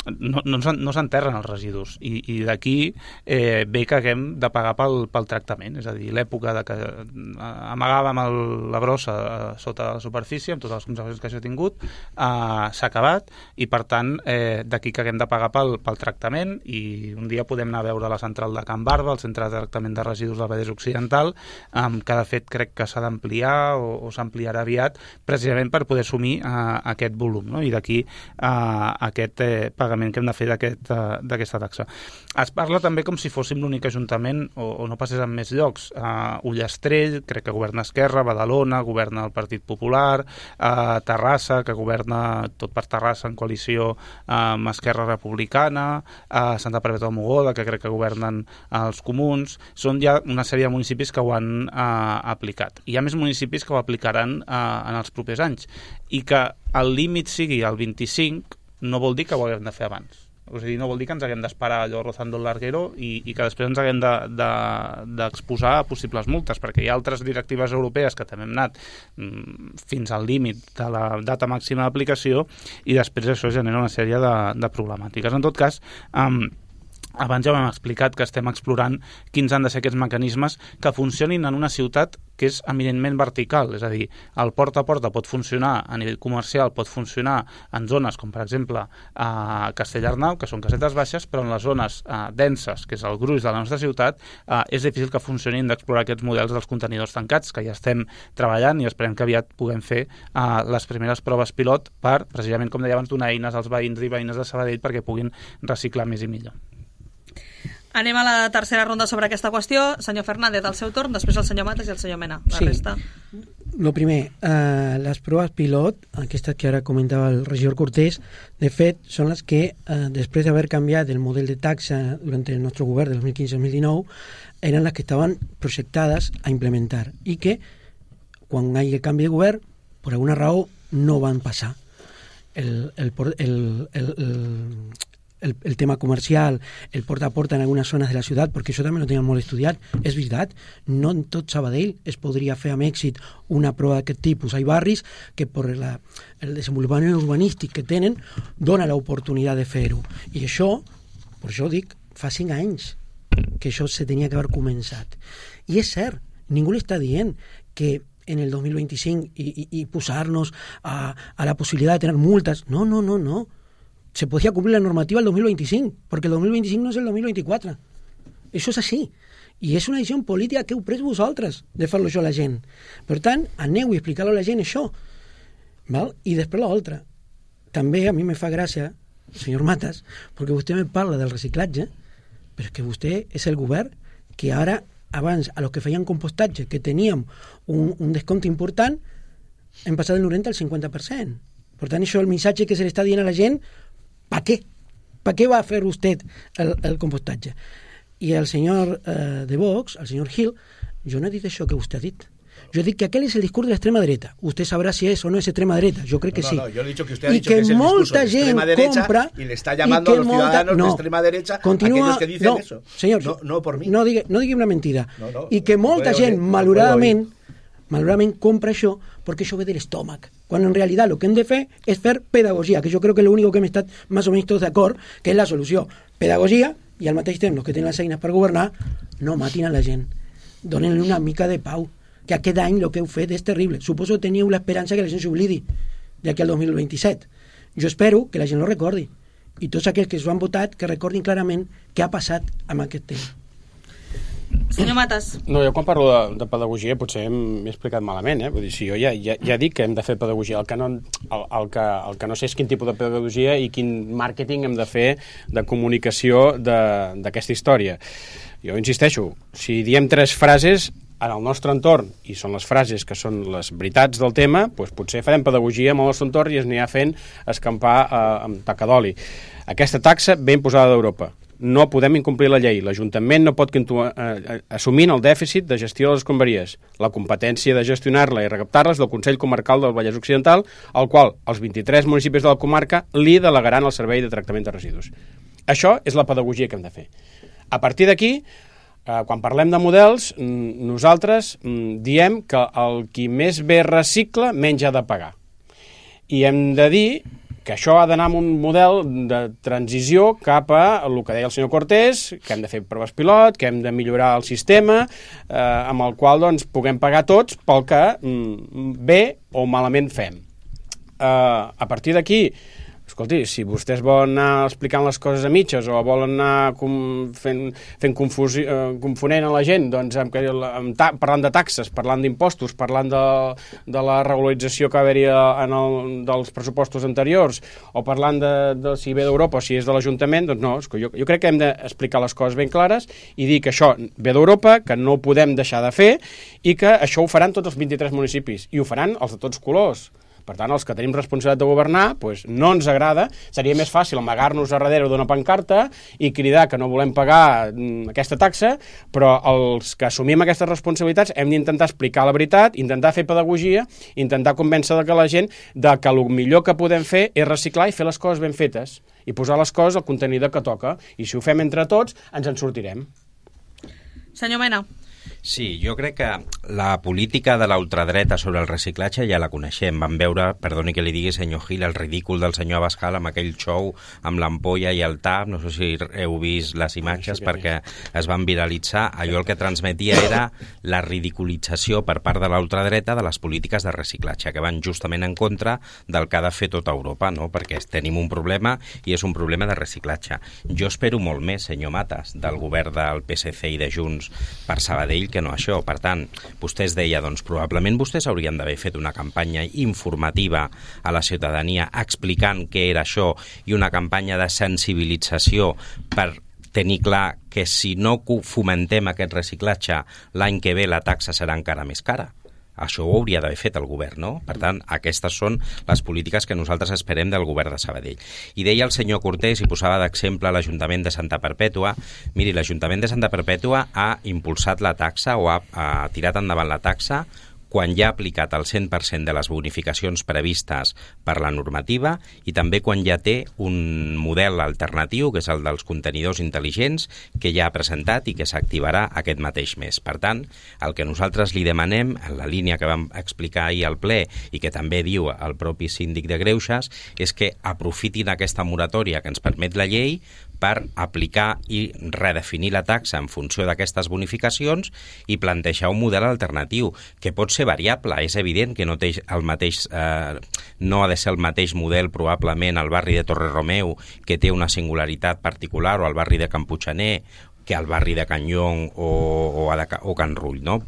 no s'enterren els residus i d'aquí ve que haguem de pagar pel tractament, és a dir, l'època de que amagàvem la brossa sota la superfície amb totes les conseqüències que això ha tingut s'ha acabat i per tant d'aquí que haguem de pagar pel tractament i un dia podem anar a veure la central de Can Barba, el centre de tractament de residus del Vallès Occidental, que de fet crec que s'ha d'ampliar o s'ampliarà aviat precisament per poder assumir aquest volum, no? I d'aquí aquest pagament que hem de fer d'aquesta taxa. Es parla també com si fóssim l'únic ajuntament o no passés en més llocs. Ullastrell, crec que governa Esquerra, Badalona, governa el Partit Popular, Terrassa, que governa tot per Terrassa en coalició amb Esquerra Republicana, Santa Perpètua de Mogoda, que crec que governen els comuns. Són ja una sèrie de municipis que ho han aplicat. Hi ha més municipis que ho aplicaran en els propers anys i que el límit sigui el 25 no vol dir que ho haguem de fer abans. O sigui, no vol dir que ens haguem d'esperar allò rozando el larguero i que després ens haguem d'exposar a possibles multes, perquè hi ha altres directives europees que també hem anat fins al límit de la data màxima d'aplicació i després això genera una sèrie de problemàtiques. En tot cas, abans ja ho hem explicat que estem explorant quins han de ser aquests mecanismes que funcionin en una ciutat que és eminentment vertical, és a dir, el porta a porta pot funcionar a nivell comercial, pot funcionar en zones com per exemple a Castellarnau, que són casetes baixes, però en les zones denses, que és el gruix de la nostra ciutat, és difícil que funcionin d'explorar aquests models dels contenidors tancats, que ja estem treballant i esperem que aviat puguem fer les primeres proves pilot per, precisament com deia abans, donar eines als veïns i veïnes de Sabadell perquè puguin reciclar més i millor. Anem a la tercera ronda sobre aquesta qüestió. Senyor Fernández, al seu torn, després el senyor Matas i el senyor Mena. La resta. Lo primer, les proves pilot, aquestes que ara comentava el regidor Cortés, de fet, són les que, després d'haver canviat el model de taxa durant el nostre govern del 2015-2019, eren les que estaven projectades a implementar i que, quan hi ha canvi de govern, per alguna raó, no van passar. El tema comercial, el porta a porta en algunes zones de la ciutat, perquè això també no tenen molt estudiat, és veritat, no en tot Sabadell es podria fer amb èxit una prova d'aquest tipus. Hi ha barris que per el desenvolupament urbanístic que tenen dona l'oportunitat de fer-ho. I això, per això dic, fa 5 anys que això se tenia que haver començat. I és cert, ningú l'està dient que en el 2025 i posar-nos a la possibilitat de tenir multes. No. Se podía cumplir la normativa el 2025, porque el 2025 no és el 2024. Això és així. I és una decisió política que heu pres vosaltres de fer-lo això a la gent. Per tant, aneu i explicar-lo a la gent això. Val? I després l'altra. També a mi me fa gràcia, senyor Matas, perquè vostè me parla del reciclatge, però és que vostè és el govern que ara, abans, a los que feien compostatge, que teníem un descompte important, hem passat del 90 al 50%. Per tant, això és el missatge que se li està dient a la gent. ¿Para qué? ¿Para qué va a hacer usted el compostatge? Y el señor de Vox, el señor Gil, yo no he dit això que vostè ha dit. Yo he dit que aquel es el discurso de la extrema derecha. Usted sabrá si es o no es extrema derecha. Yo creo que sí. No, yo he dicho que usted ha dicho que es el discurso de extrema derecha compra, y le está llamando a los ciudadanos de extrema derecha aquellos que dicen eso. Señor, no por mí. No digui una mentida. I que molta gent, malauradament, compra això perquè això ve de l'estómac, quan en realitat el que hem de fer és fer pedagogia, que jo crec que l'únic que hem estat més o menys tots d'acord, que és la solució. Pedagogia, i al mateix temps els que tenen les eines per governar, no matin a la gent, donen-li una mica de pau, que aquest any el que heu fet és terrible. Suposo que teniu l'esperança que la gent s'oblidi d'aquí al 2027. Jo espero que la gent ho recordi, i tots aquells que s'ho han votat que recordin clarament què ha passat amb aquest tema. Senyor Matas. No, jo quan parlo de pedagogia potser m'he explicat malament, Vull dir, si jo ja dic que hem de fer pedagogia, el que no sé és quin tipus de pedagogia i quin màrqueting hem de fer de comunicació d'aquesta història. Jo insisteixo, si diem 3 frases en el nostre entorn, i són les frases que són les veritats del tema, doncs potser farem pedagogia amb el nostre entorn i es anirà fent escampar amb taca d'oli. Aquesta taxa ben posada d'Europa. No podem incomplir la llei. L'Ajuntament no pot continuar assumint el dèficit de gestió de les escombraries. La competència de gestionar-la i recaptar-la és del Consell Comarcal del Vallès Occidental, al qual els 23 municipis de la comarca li delegaran el servei de tractament de residus. Això és la pedagogia que hem de fer. A partir d'aquí, quan parlem de models, nosaltres diem que el qui més bé recicla menys ha de pagar. I hem de dir que això ha d'anar amb un model de transició cap a el que deia el senyor Cortés, que hem de fer proves pilot, que hem de millorar el sistema, amb el qual doncs, puguem pagar tots pel que bé o malament fem. A partir d'aquí, escolti, si vostès volen anar explicant les coses a mitges o volen anar confonent a la gent, doncs, parlant de taxes, parlant d'impostos, parlant de la regularització que va haver-hi dels pressupostos anteriors, o parlant de si ve d'Europa o si és de l'Ajuntament, doncs no, jo crec que hem d'explicar les coses ben clares i dir que això ve d'Europa, que no ho podem deixar de fer i que això ho faran tots els 23 municipis, i ho faran els de tots colors. Per tant, els que tenim responsabilitat de governar, doncs no ens agrada, seria més fàcil amagar-nos a darrere d'una pancarta i cridar que no volem pagar aquesta taxa, però els que assumim aquestes responsabilitats hem d'intentar explicar la veritat, intentar fer pedagogia, intentar convèncer que la gent que el millor que podem fer és reciclar i fer les coses ben fetes i posar les coses al contenidor que toca, i si ho fem entre tots ens en sortirem. Senyor Mena. Sí, jo crec que la política de la ultradreta sobre el reciclatge ja la coneixem. Vam veure, perdoni que li digui, senyor Gil, el ridícul del senyor Abascal amb aquell show amb l'ampolla i el tap. No sé si heu vist les imatges perquè es van viralitzar. Allò el que transmetia era la ridiculització per part de la ultradreta de les polítiques de reciclatge, que van justament en contra del que ha de fer tota Europa, no? Perquè tenim un problema i és un problema de reciclatge. Jo espero molt més, senyor Matas, del govern del PSC i de Junts per Sabadell que no això. Per tant, vostè es deia, doncs probablement vostès haurien d'haver fet una campanya informativa a la ciutadania explicant què era això i una campanya de sensibilització per tenir clar que si no fomentem aquest reciclatge l'any que ve la taxa serà encara més cara. Això ho hauria d'haver fet el govern, no? Per tant, aquestes són les polítiques que nosaltres esperem del govern de Sabadell. I deia el senyor Cortés, i posava d'exemple l'Ajuntament de Santa Perpètua. Miri, l'Ajuntament de Santa Perpètua ha impulsat la taxa o ha tirat endavant la taxa quan ja ha aplicat el 100% de les bonificacions previstes per la normativa i també quan ja té un model alternatiu, que és el dels contenidors intel·ligents, que ja ha presentat i que s'activarà aquest mateix mes. Per tant, el que nosaltres li demanem, en la línia que vam explicar ahir al ple i que també diu el propi síndic de Greuges, és que aprofitin aquesta moratòria que ens permet la llei per aplicar i redefinir la taxa en funció d'aquestes bonificacions i plantejar un model alternatiu, que pot ser variable. És evident que no ha de ser el mateix model probablement al barri de Torre-Romeu, que té una singularitat particular, o al barri de Camputxaner, que al barri de Can Llong o Can Rull, no?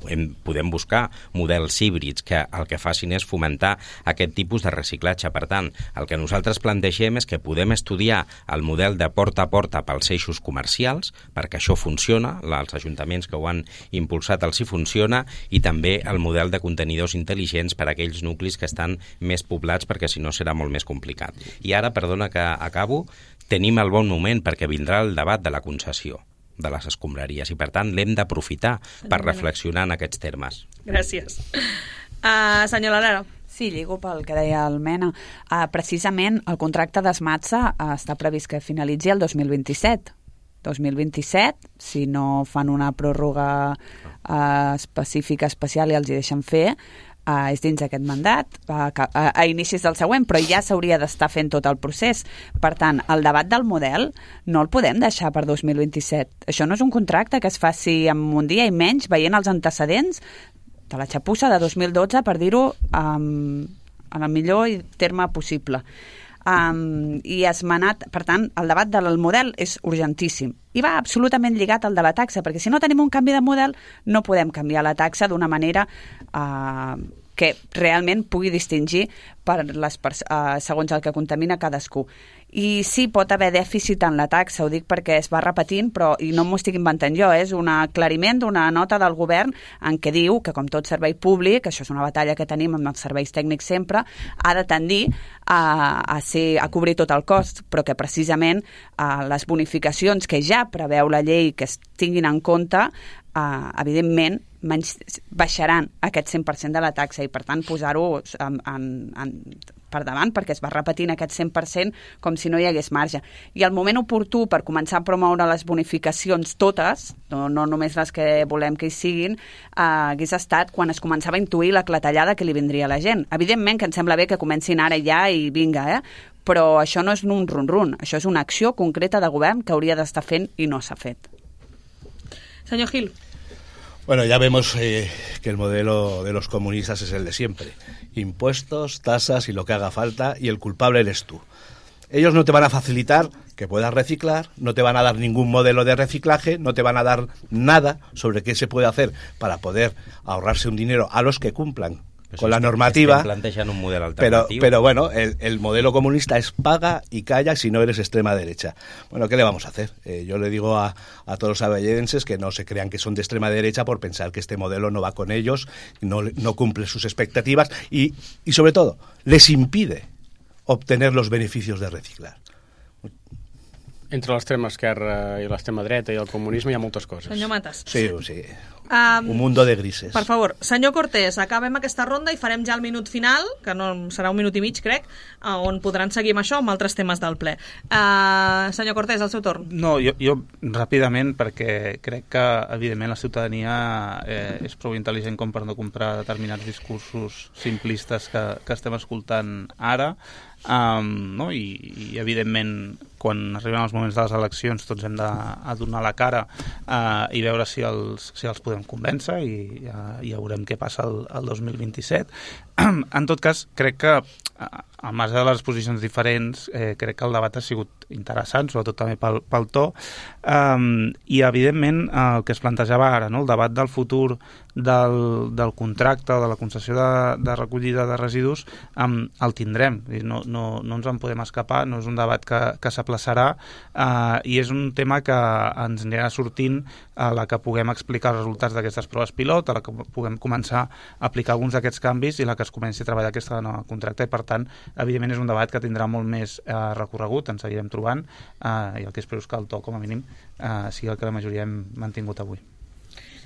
Podem buscar models híbrids que el que facin és fomentar aquest tipus de reciclatge. Per tant, el que nosaltres plantegem és que podem estudiar el model de porta a porta pels eixos comercials, perquè això funciona, els ajuntaments que ho han impulsat els hi funciona, i també el model de contenidors intel·ligents per a aquells nuclis que estan més poblats, perquè si no serà molt més complicat. I ara, perdona que acabo, tenim el bon moment perquè vindrà el debat de la concessió de les escombraries i, per tant, l'hem d'aprofitar per reflexionar en aquests termes. Gràcies. Senyor Lara. Sí, lligo pel que deia el Mena. Precisament el contracte d'Esmatsa està previst que finalitzi el 2027. 2027, si no fan una pròrroga específica, especial i els hi deixen fer, és dins d'aquest mandat, a inicis del següent, però ja s'hauria d'estar fent tot el procés. Per tant, el debat del model no el podem deixar per 2027. Això no és un contracte que es faci en un dia i menys, veient els antecedents de la xapussa de 2012, per dir-ho en el millor terme possible. I esmenat, per tant, el debat del model és urgentíssim i va absolutament lligat al de la taxa, perquè si no tenim un canvi de model no podem canviar la taxa d'una manera que realment pugui distingir segons el que contamina cadascú. I sí, pot haver dèficit en la taxa, ho dic perquè es va repetint, i no m'ho estic inventant jo, és un aclariment d'una nota del govern en què diu que, com tot servei públic, això és una batalla que tenim amb els serveis tècnics sempre, ha de tendir a cobrir tot el cost, però que precisament les bonificacions que ja preveu la llei que es tinguin en compte, evidentment, baixaran aquest 100% de la taxa i, per tant, posar-ho per davant, perquè es va repetint aquest 100% com si no hi hagués marge. I el moment oportú per començar a promoure les bonificacions totes, no només les que volem que hi siguin, hagués estat quan es començava a intuir la clatellada que li vindria a la gent. Evidentment que ens sembla bé que comencin ara ja i vinga, però això no és un run-run, això és una acció concreta de govern que hauria d'estar fent i no s'ha fet. Senyor Gil. Bueno, ya vemos que el modelo de los comunistas es el de siempre. Impuestos, tasas y lo que haga falta, y el culpable eres tú. Ellos no te van a facilitar que puedas reciclar, no te van a dar ningún modelo de reciclaje, no te van a dar nada sobre qué se puede hacer para poder ahorrarse un dinero a los que cumplan con la normativa, un modelo alternativo. Pero bueno, el modelo comunista es paga y calla si no eres extrema derecha. Bueno, ¿qué le vamos a hacer? Yo le digo a todos los avelledenses que no se crean que son de extrema derecha por pensar que este modelo no va con ellos, no cumple sus expectativas y sobre todo, les impide obtener los beneficios de reciclar. Entre l'extrema esquerra i l'extrema dreta i el comunisme hi ha moltes coses. Senyor Matas. Sí. Un mundo de grises. Per favor, senyor Cortés, acabem aquesta ronda i farem ja el minut final, que no serà 1 minut i mig, crec, on podran seguir amb això, amb altres temes del ple. Senyor Cortés, el seu torn. No, jo ràpidament, perquè crec que, evidentment, la ciutadania és prou intel·ligent com per no comprar determinats discursos simplistes que estem escoltant ara, no? I evidentment quan arriben els moments de les eleccions tots hem de donar la cara i veure si els podem convèncer i ja veurem què passa el 2027. En tot cas, crec que al marge de les posicions diferents, crec que el debat ha sigut interessant, sobretot també pel to, i evidentment el que es plantejava ara, no? El debat del futur del contracte, de la concessió de recollida de residus, el tindrem, no ens en podem escapar, no és un debat que s'aplaçarà, i és un tema que ens anirà sortint a la que puguem explicar els resultats d'aquestes proves pilot, a la que puguem començar a aplicar alguns d'aquests canvis i la que es comenci a treballar aquesta nova contracte, i per tant, evidentment és un debat que tindrà molt més recorregut, ens seguirem trobant, i el que espero és que el to, com a mínim, sigui el que la majoria hem mantingut avui.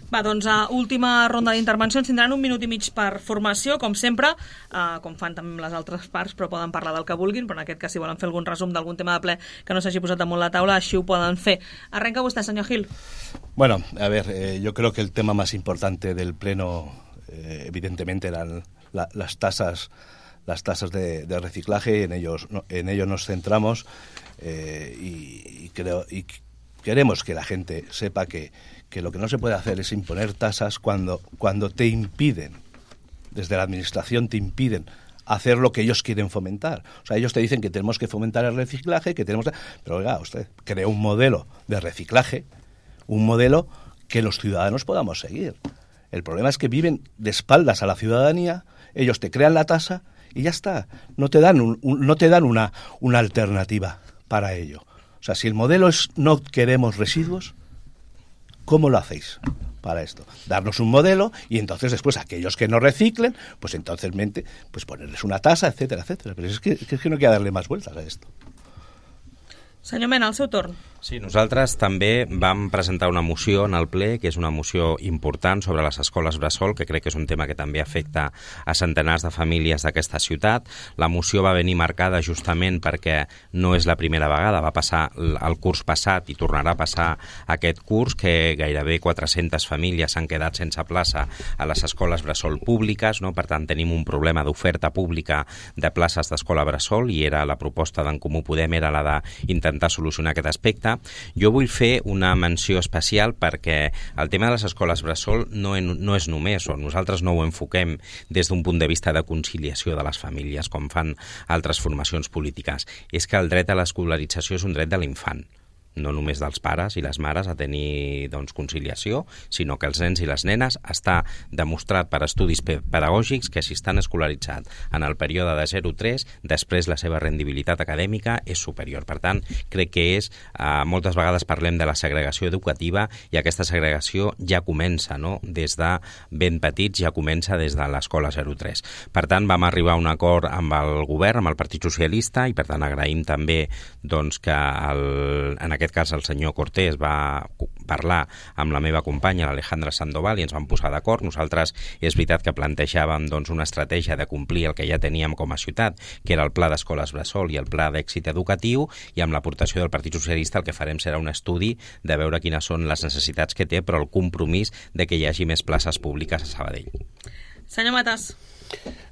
Va, doncs, última ronda d'intervencions. Tindran 1 minut i mig per formació, com sempre, com fan també les altres parts, però poden parlar del que vulguin, però en aquest cas si volen fer algun resum d'algun tema de ple que no s'hagi posat damunt la taula, així ho poden fer. Arrenca vostè, senyor Gil. Bueno, a ver, yo creo que el tema más importante del pleno, evidentemente, eran las tasas de reciclaje, y en ello nos centramos, y queremos que la gente sepa que lo que no se puede hacer es imponer tasas cuando te impiden, desde la administración te impiden hacer lo que ellos quieren fomentar. O sea, ellos te dicen que tenemos que fomentar el reciclaje, pero oiga, usted crea un modelo de reciclaje, un modelo que los ciudadanos podamos seguir. El problema es que viven de espaldas a la ciudadanía, ellos te crean la tasa y ya está. No te dan una alternativa para ello. O sea, si el modelo es no queremos residuos, ¿cómo lo hacéis para esto? Darnos un modelo y entonces después aquellos que no reciclen, pues entonces pues ponerles una tasa, etcétera, etcétera. Pero es que no hay que darle más vueltas a esto. Senyor Mena, el seu torn. Sí, nosaltres també vam presentar una moció en el ple, que és una moció important sobre les escoles bressol, que crec que és un tema que també afecta a centenars de famílies d'aquesta ciutat. La moció va venir marcada justament perquè no és la primera vegada, va passar el curs passat i tornarà a passar aquest curs, que gairebé 400 famílies s'han quedat sense plaça a les escoles bressol públiques, no? Per tant, tenim un problema d'oferta pública de places d'escola bressol, i era la proposta d'en Comú Podem, era la d'intentar solucionar aquest aspecte. Jo vull fer una menció especial perquè el tema de les escoles bressol no és només, o nosaltres no ho enfoquem des d'un punt de vista de conciliació de les famílies, com fan altres formacions polítiques. És que el dret a l'escolarització és un dret de l'infant, no només dels pares i les mares a tenir conciliació, sinó que els nens i les nenes està demostrat per estudis pedagògics que si estan escolaritzats en el període de 0-3, després la seva rendibilitat acadèmica és superior. Per tant, crec que moltes vegades parlem de la segregació educativa, i aquesta segregació ja comença, no? Des de ben petits, ja comença des de l'escola 0-3. Per tant, vam arribar a un acord amb el govern, amb el Partit Socialista, i per tant agraïm també que en aquest aquest cas el senyor Cortés va parlar amb la meva companya, l'Alejandra Sandoval, i ens vam posar d'acord. Nosaltres és veritat que plantejàvem doncs, una estratègia de complir el que ja teníem com a ciutat, que era el pla d'escoles bressol i el pla d'èxit educatiu, i amb l'aportació del Partit Socialista el que farem serà un estudi de veure quines són les necessitats que té, però el compromís de que hi hagi més places públiques a Sabadell. Senyor Matas.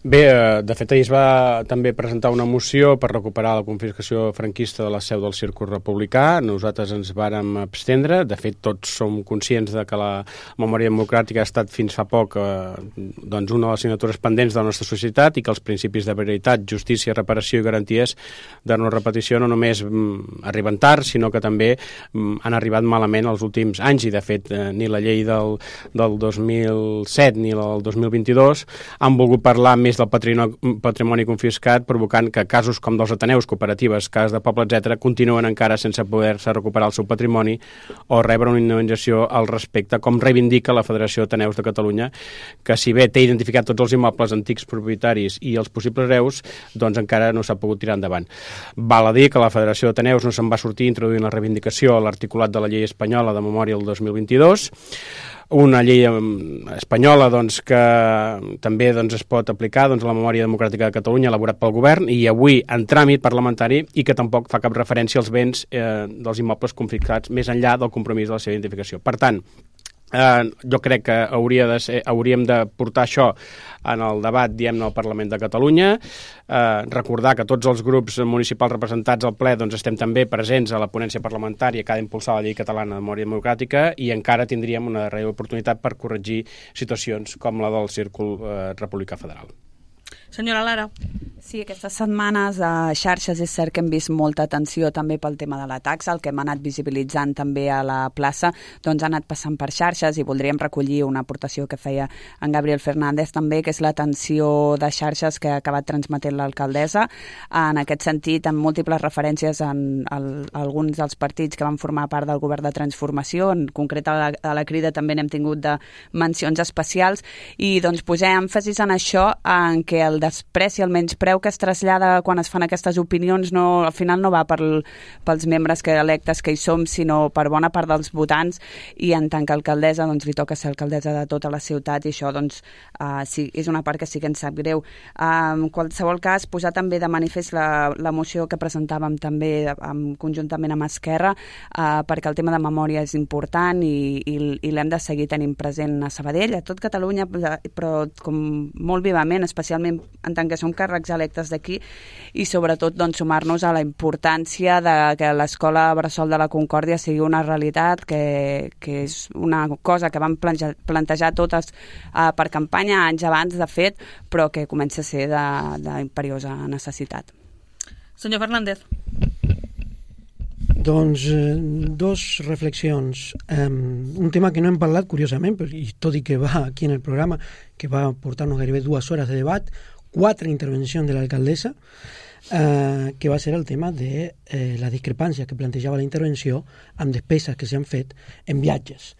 Bé, de fet ahir es va també presentar una moció per recuperar la confiscació franquista de la seu del Círcul Republicà. Nosaltres ens vàrem abstendre. De fet, tots som conscients de que la memòria democràtica ha estat fins fa poc doncs una de les signatures pendents de la nostra societat, i que els principis de veritat, justícia, reparació i garanties de no repetició no només arriben tard, sinó que també han arribat malament els últims anys, i de fet ni la llei del 2007 ni la del 2022 han volgut parlar més del patrimoni confiscat, provocant que casos com dels ateneus, cooperatives, cases de poble, etc., continuen encara sense poder-se recuperar el seu patrimoni o rebre una indemnització al respecte, com reivindica la Federació d'Ateneus de Catalunya, que si bé té identificat tots els immobles antics propietaris i els possibles hereus, doncs encara no s'ha pogut tirar endavant. Val a dir que la Federació d'Ateneus no se'n va sortir introduint la reivindicació a l'articulat de la llei espanyola de memòria del 2022, una llei espanyola doncs, que també doncs, es pot aplicar doncs, a la memòria democràtica de Catalunya elaborat pel govern, i avui en tràmit parlamentari, i que tampoc fa cap referència als béns dels immobles confiscats més enllà del compromís de la seva identificació. Per tant, jo crec que hauríem de portar això en el debat, diguem-ne, al Parlament de Catalunya, recordar que tots els grups municipals representats al ple doncs, estem també presents a la ponència parlamentària que ha d'impulsar la llei catalana de memòria democràtica, i encara tindríem una darrera oportunitat per corregir situacions com la del Círcul Republicà Federal. Senyora Lara. Sí, aquestes setmanes a xarxes és cert que hem vist molta atenció també pel tema de la taxa. El que hem anat visibilitzant també a la plaça doncs ha anat passant per xarxes, i voldríem recollir una aportació que feia en Gabriel Fernández també, que és l'atenció de xarxes que ha acabat transmetent l'alcaldessa. En aquest sentit, amb múltiples referències a alguns dels partits que van formar part del govern de transformació, en concret a la Crida també n'hem tingut de mencions especials, i doncs posar èmfasis en això, en què el despreci, el menyspreu que es trasllada quan es fan aquestes opinions al final no va pels membres electes que hi som, sinó per bona part dels votants, i en tant que alcaldessa doncs li toca ser alcaldessa de tota la ciutat, i això doncs sí, és una part que sí que ens sap greu. En qualsevol cas, posar també de manifest la moció que presentàvem també conjuntament amb Esquerra, perquè el tema de memòria és important i l'hem de seguir tenint present a Sabadell, a tot Catalunya, però com molt vivament, especialment en tant que som càrrecs electes d'aquí, i sobretot doncs, sumar-nos a la importància de que l'escola Bressol de la Concòrdia sigui una realitat, que és una cosa que vam plantejar totes per campanya anys abans, de fet, però que comença a ser d'imperiosa necessitat. Senyor Fernández. Doncs dos reflexions. Un tema que no hem parlat, curiosament, i tot i que va aquí en el programa, que va portar-nos gairebé 2 hores de debat, 4 intervencions de l'alcaldessa, que va ser el tema de la discrepància que plantejava la intervenció amb despeses que s'han fet en viatges.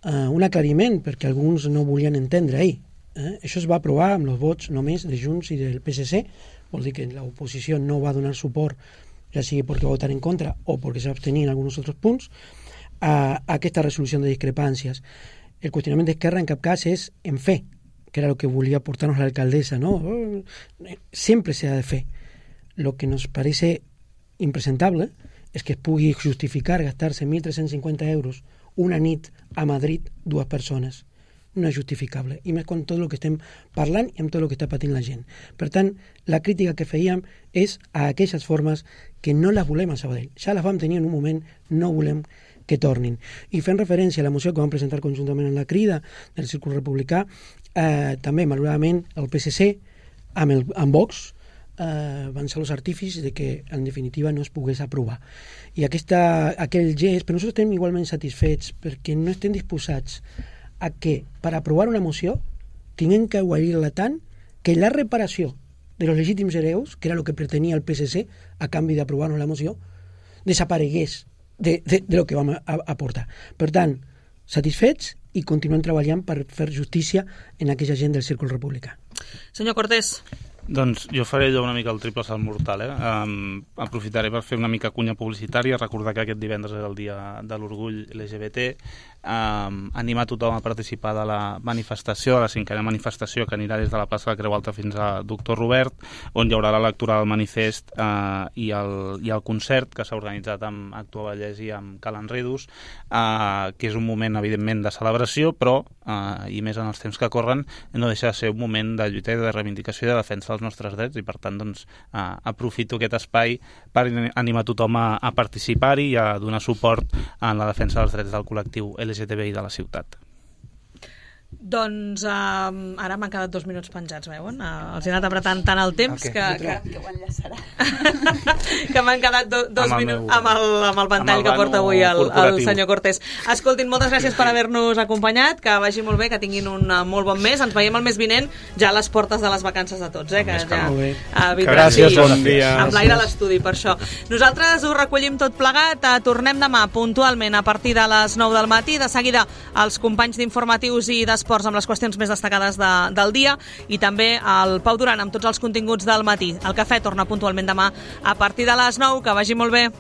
Un aclariment, perquè alguns no volien entendre ahir. Això es va aprovar amb els vots només de Junts i del PSC, vol dir que l'oposició no va donar suport, ja sigui perquè va votar en contra o perquè s'abstenien en alguns altres punts, a aquesta resolució de discrepàncies. El qüestionament d'Esquerra en cap cas és en fe, que era el que volia portar-nos l'alcaldessa, ¿no? Siempre se ha de fe. Lo que nos parece impresentable es que es pugui justificar gastar-se 1.350 euros una nit a Madrid 2 persones. No és justificable, i més quan tot el que estem parlant i amb tot el que està patint la gent. Per tant, la crítica que fèiem és a aquestes formes que no les volem a Sabadell. Ja les vam tenir en un moment, no volem que tornin. I fent referència a la moció que vam presentar conjuntament en la Crida del Círcul Republicà, també, malauradament, el PSC amb Vox van ser els artífices de que, en definitiva, no es pogués aprovar. I aquell gest, però nosaltres estem igualment satisfets perquè no estem disposats a que, per aprovar una moció, tinguem que aguarir-la tant que la reparació de los legítims hereus, que era el que pretenia el PSC a canvi d'aprovar-nos la moció, desaparegués de lo que vam aportar. Per tant, satisfets i continuem treballant per fer justícia en aquella gent del Círcul Republicà. Senyor Cortés. Doncs jo faré allò una mica el triple salt mortal, aprofitaré per fer una mica cunya publicitària, recordar que aquest divendres és el dia de l'orgull LGBT, animar tothom a participar de la manifestació, de la 5a manifestació que anirà des de la plaça de la Creu Alta fins a Doctor Robert, on hi haurà la lectura del manifest i el concert que s'ha organitzat amb Actua Vallès i amb Cal Enredos, que és un moment evidentment de celebració, però i més en els temps que corren no deixa de ser un moment de lluita i de reivindicació i de defensa dels nostres drets, i per tant doncs, aprofito aquest espai per animar tothom a participar-hi i a donar suport en la defensa dels drets del col·lectiu LGTBI de la ciutat. Doncs ara m'han quedat 2 minuts penjats, veuen? Els he anat apretant tant el temps que ho enllaçarà. que m'han quedat 2 minuts amb el ventall que porta avui el senyor Cortés. Escoltin, moltes gràcies per haver-nos acompanyat, que vagi molt bé, que tinguin un molt bon mes. Ens veiem el mes vinent, ja a les portes de les vacances de tots, que ja gràcies, bon dia. Amb l'aire a l'estudi, per això. Nosaltres ho recollim tot plegat, tornem demà puntualment a partir de les 9 del matí. De seguida, els companys d'informatius i d'esports amb les qüestions més destacades del dia, i també el Pau Duran amb tots els continguts del matí. El cafè torna puntualment demà a partir de les 9. Que vagi molt bé.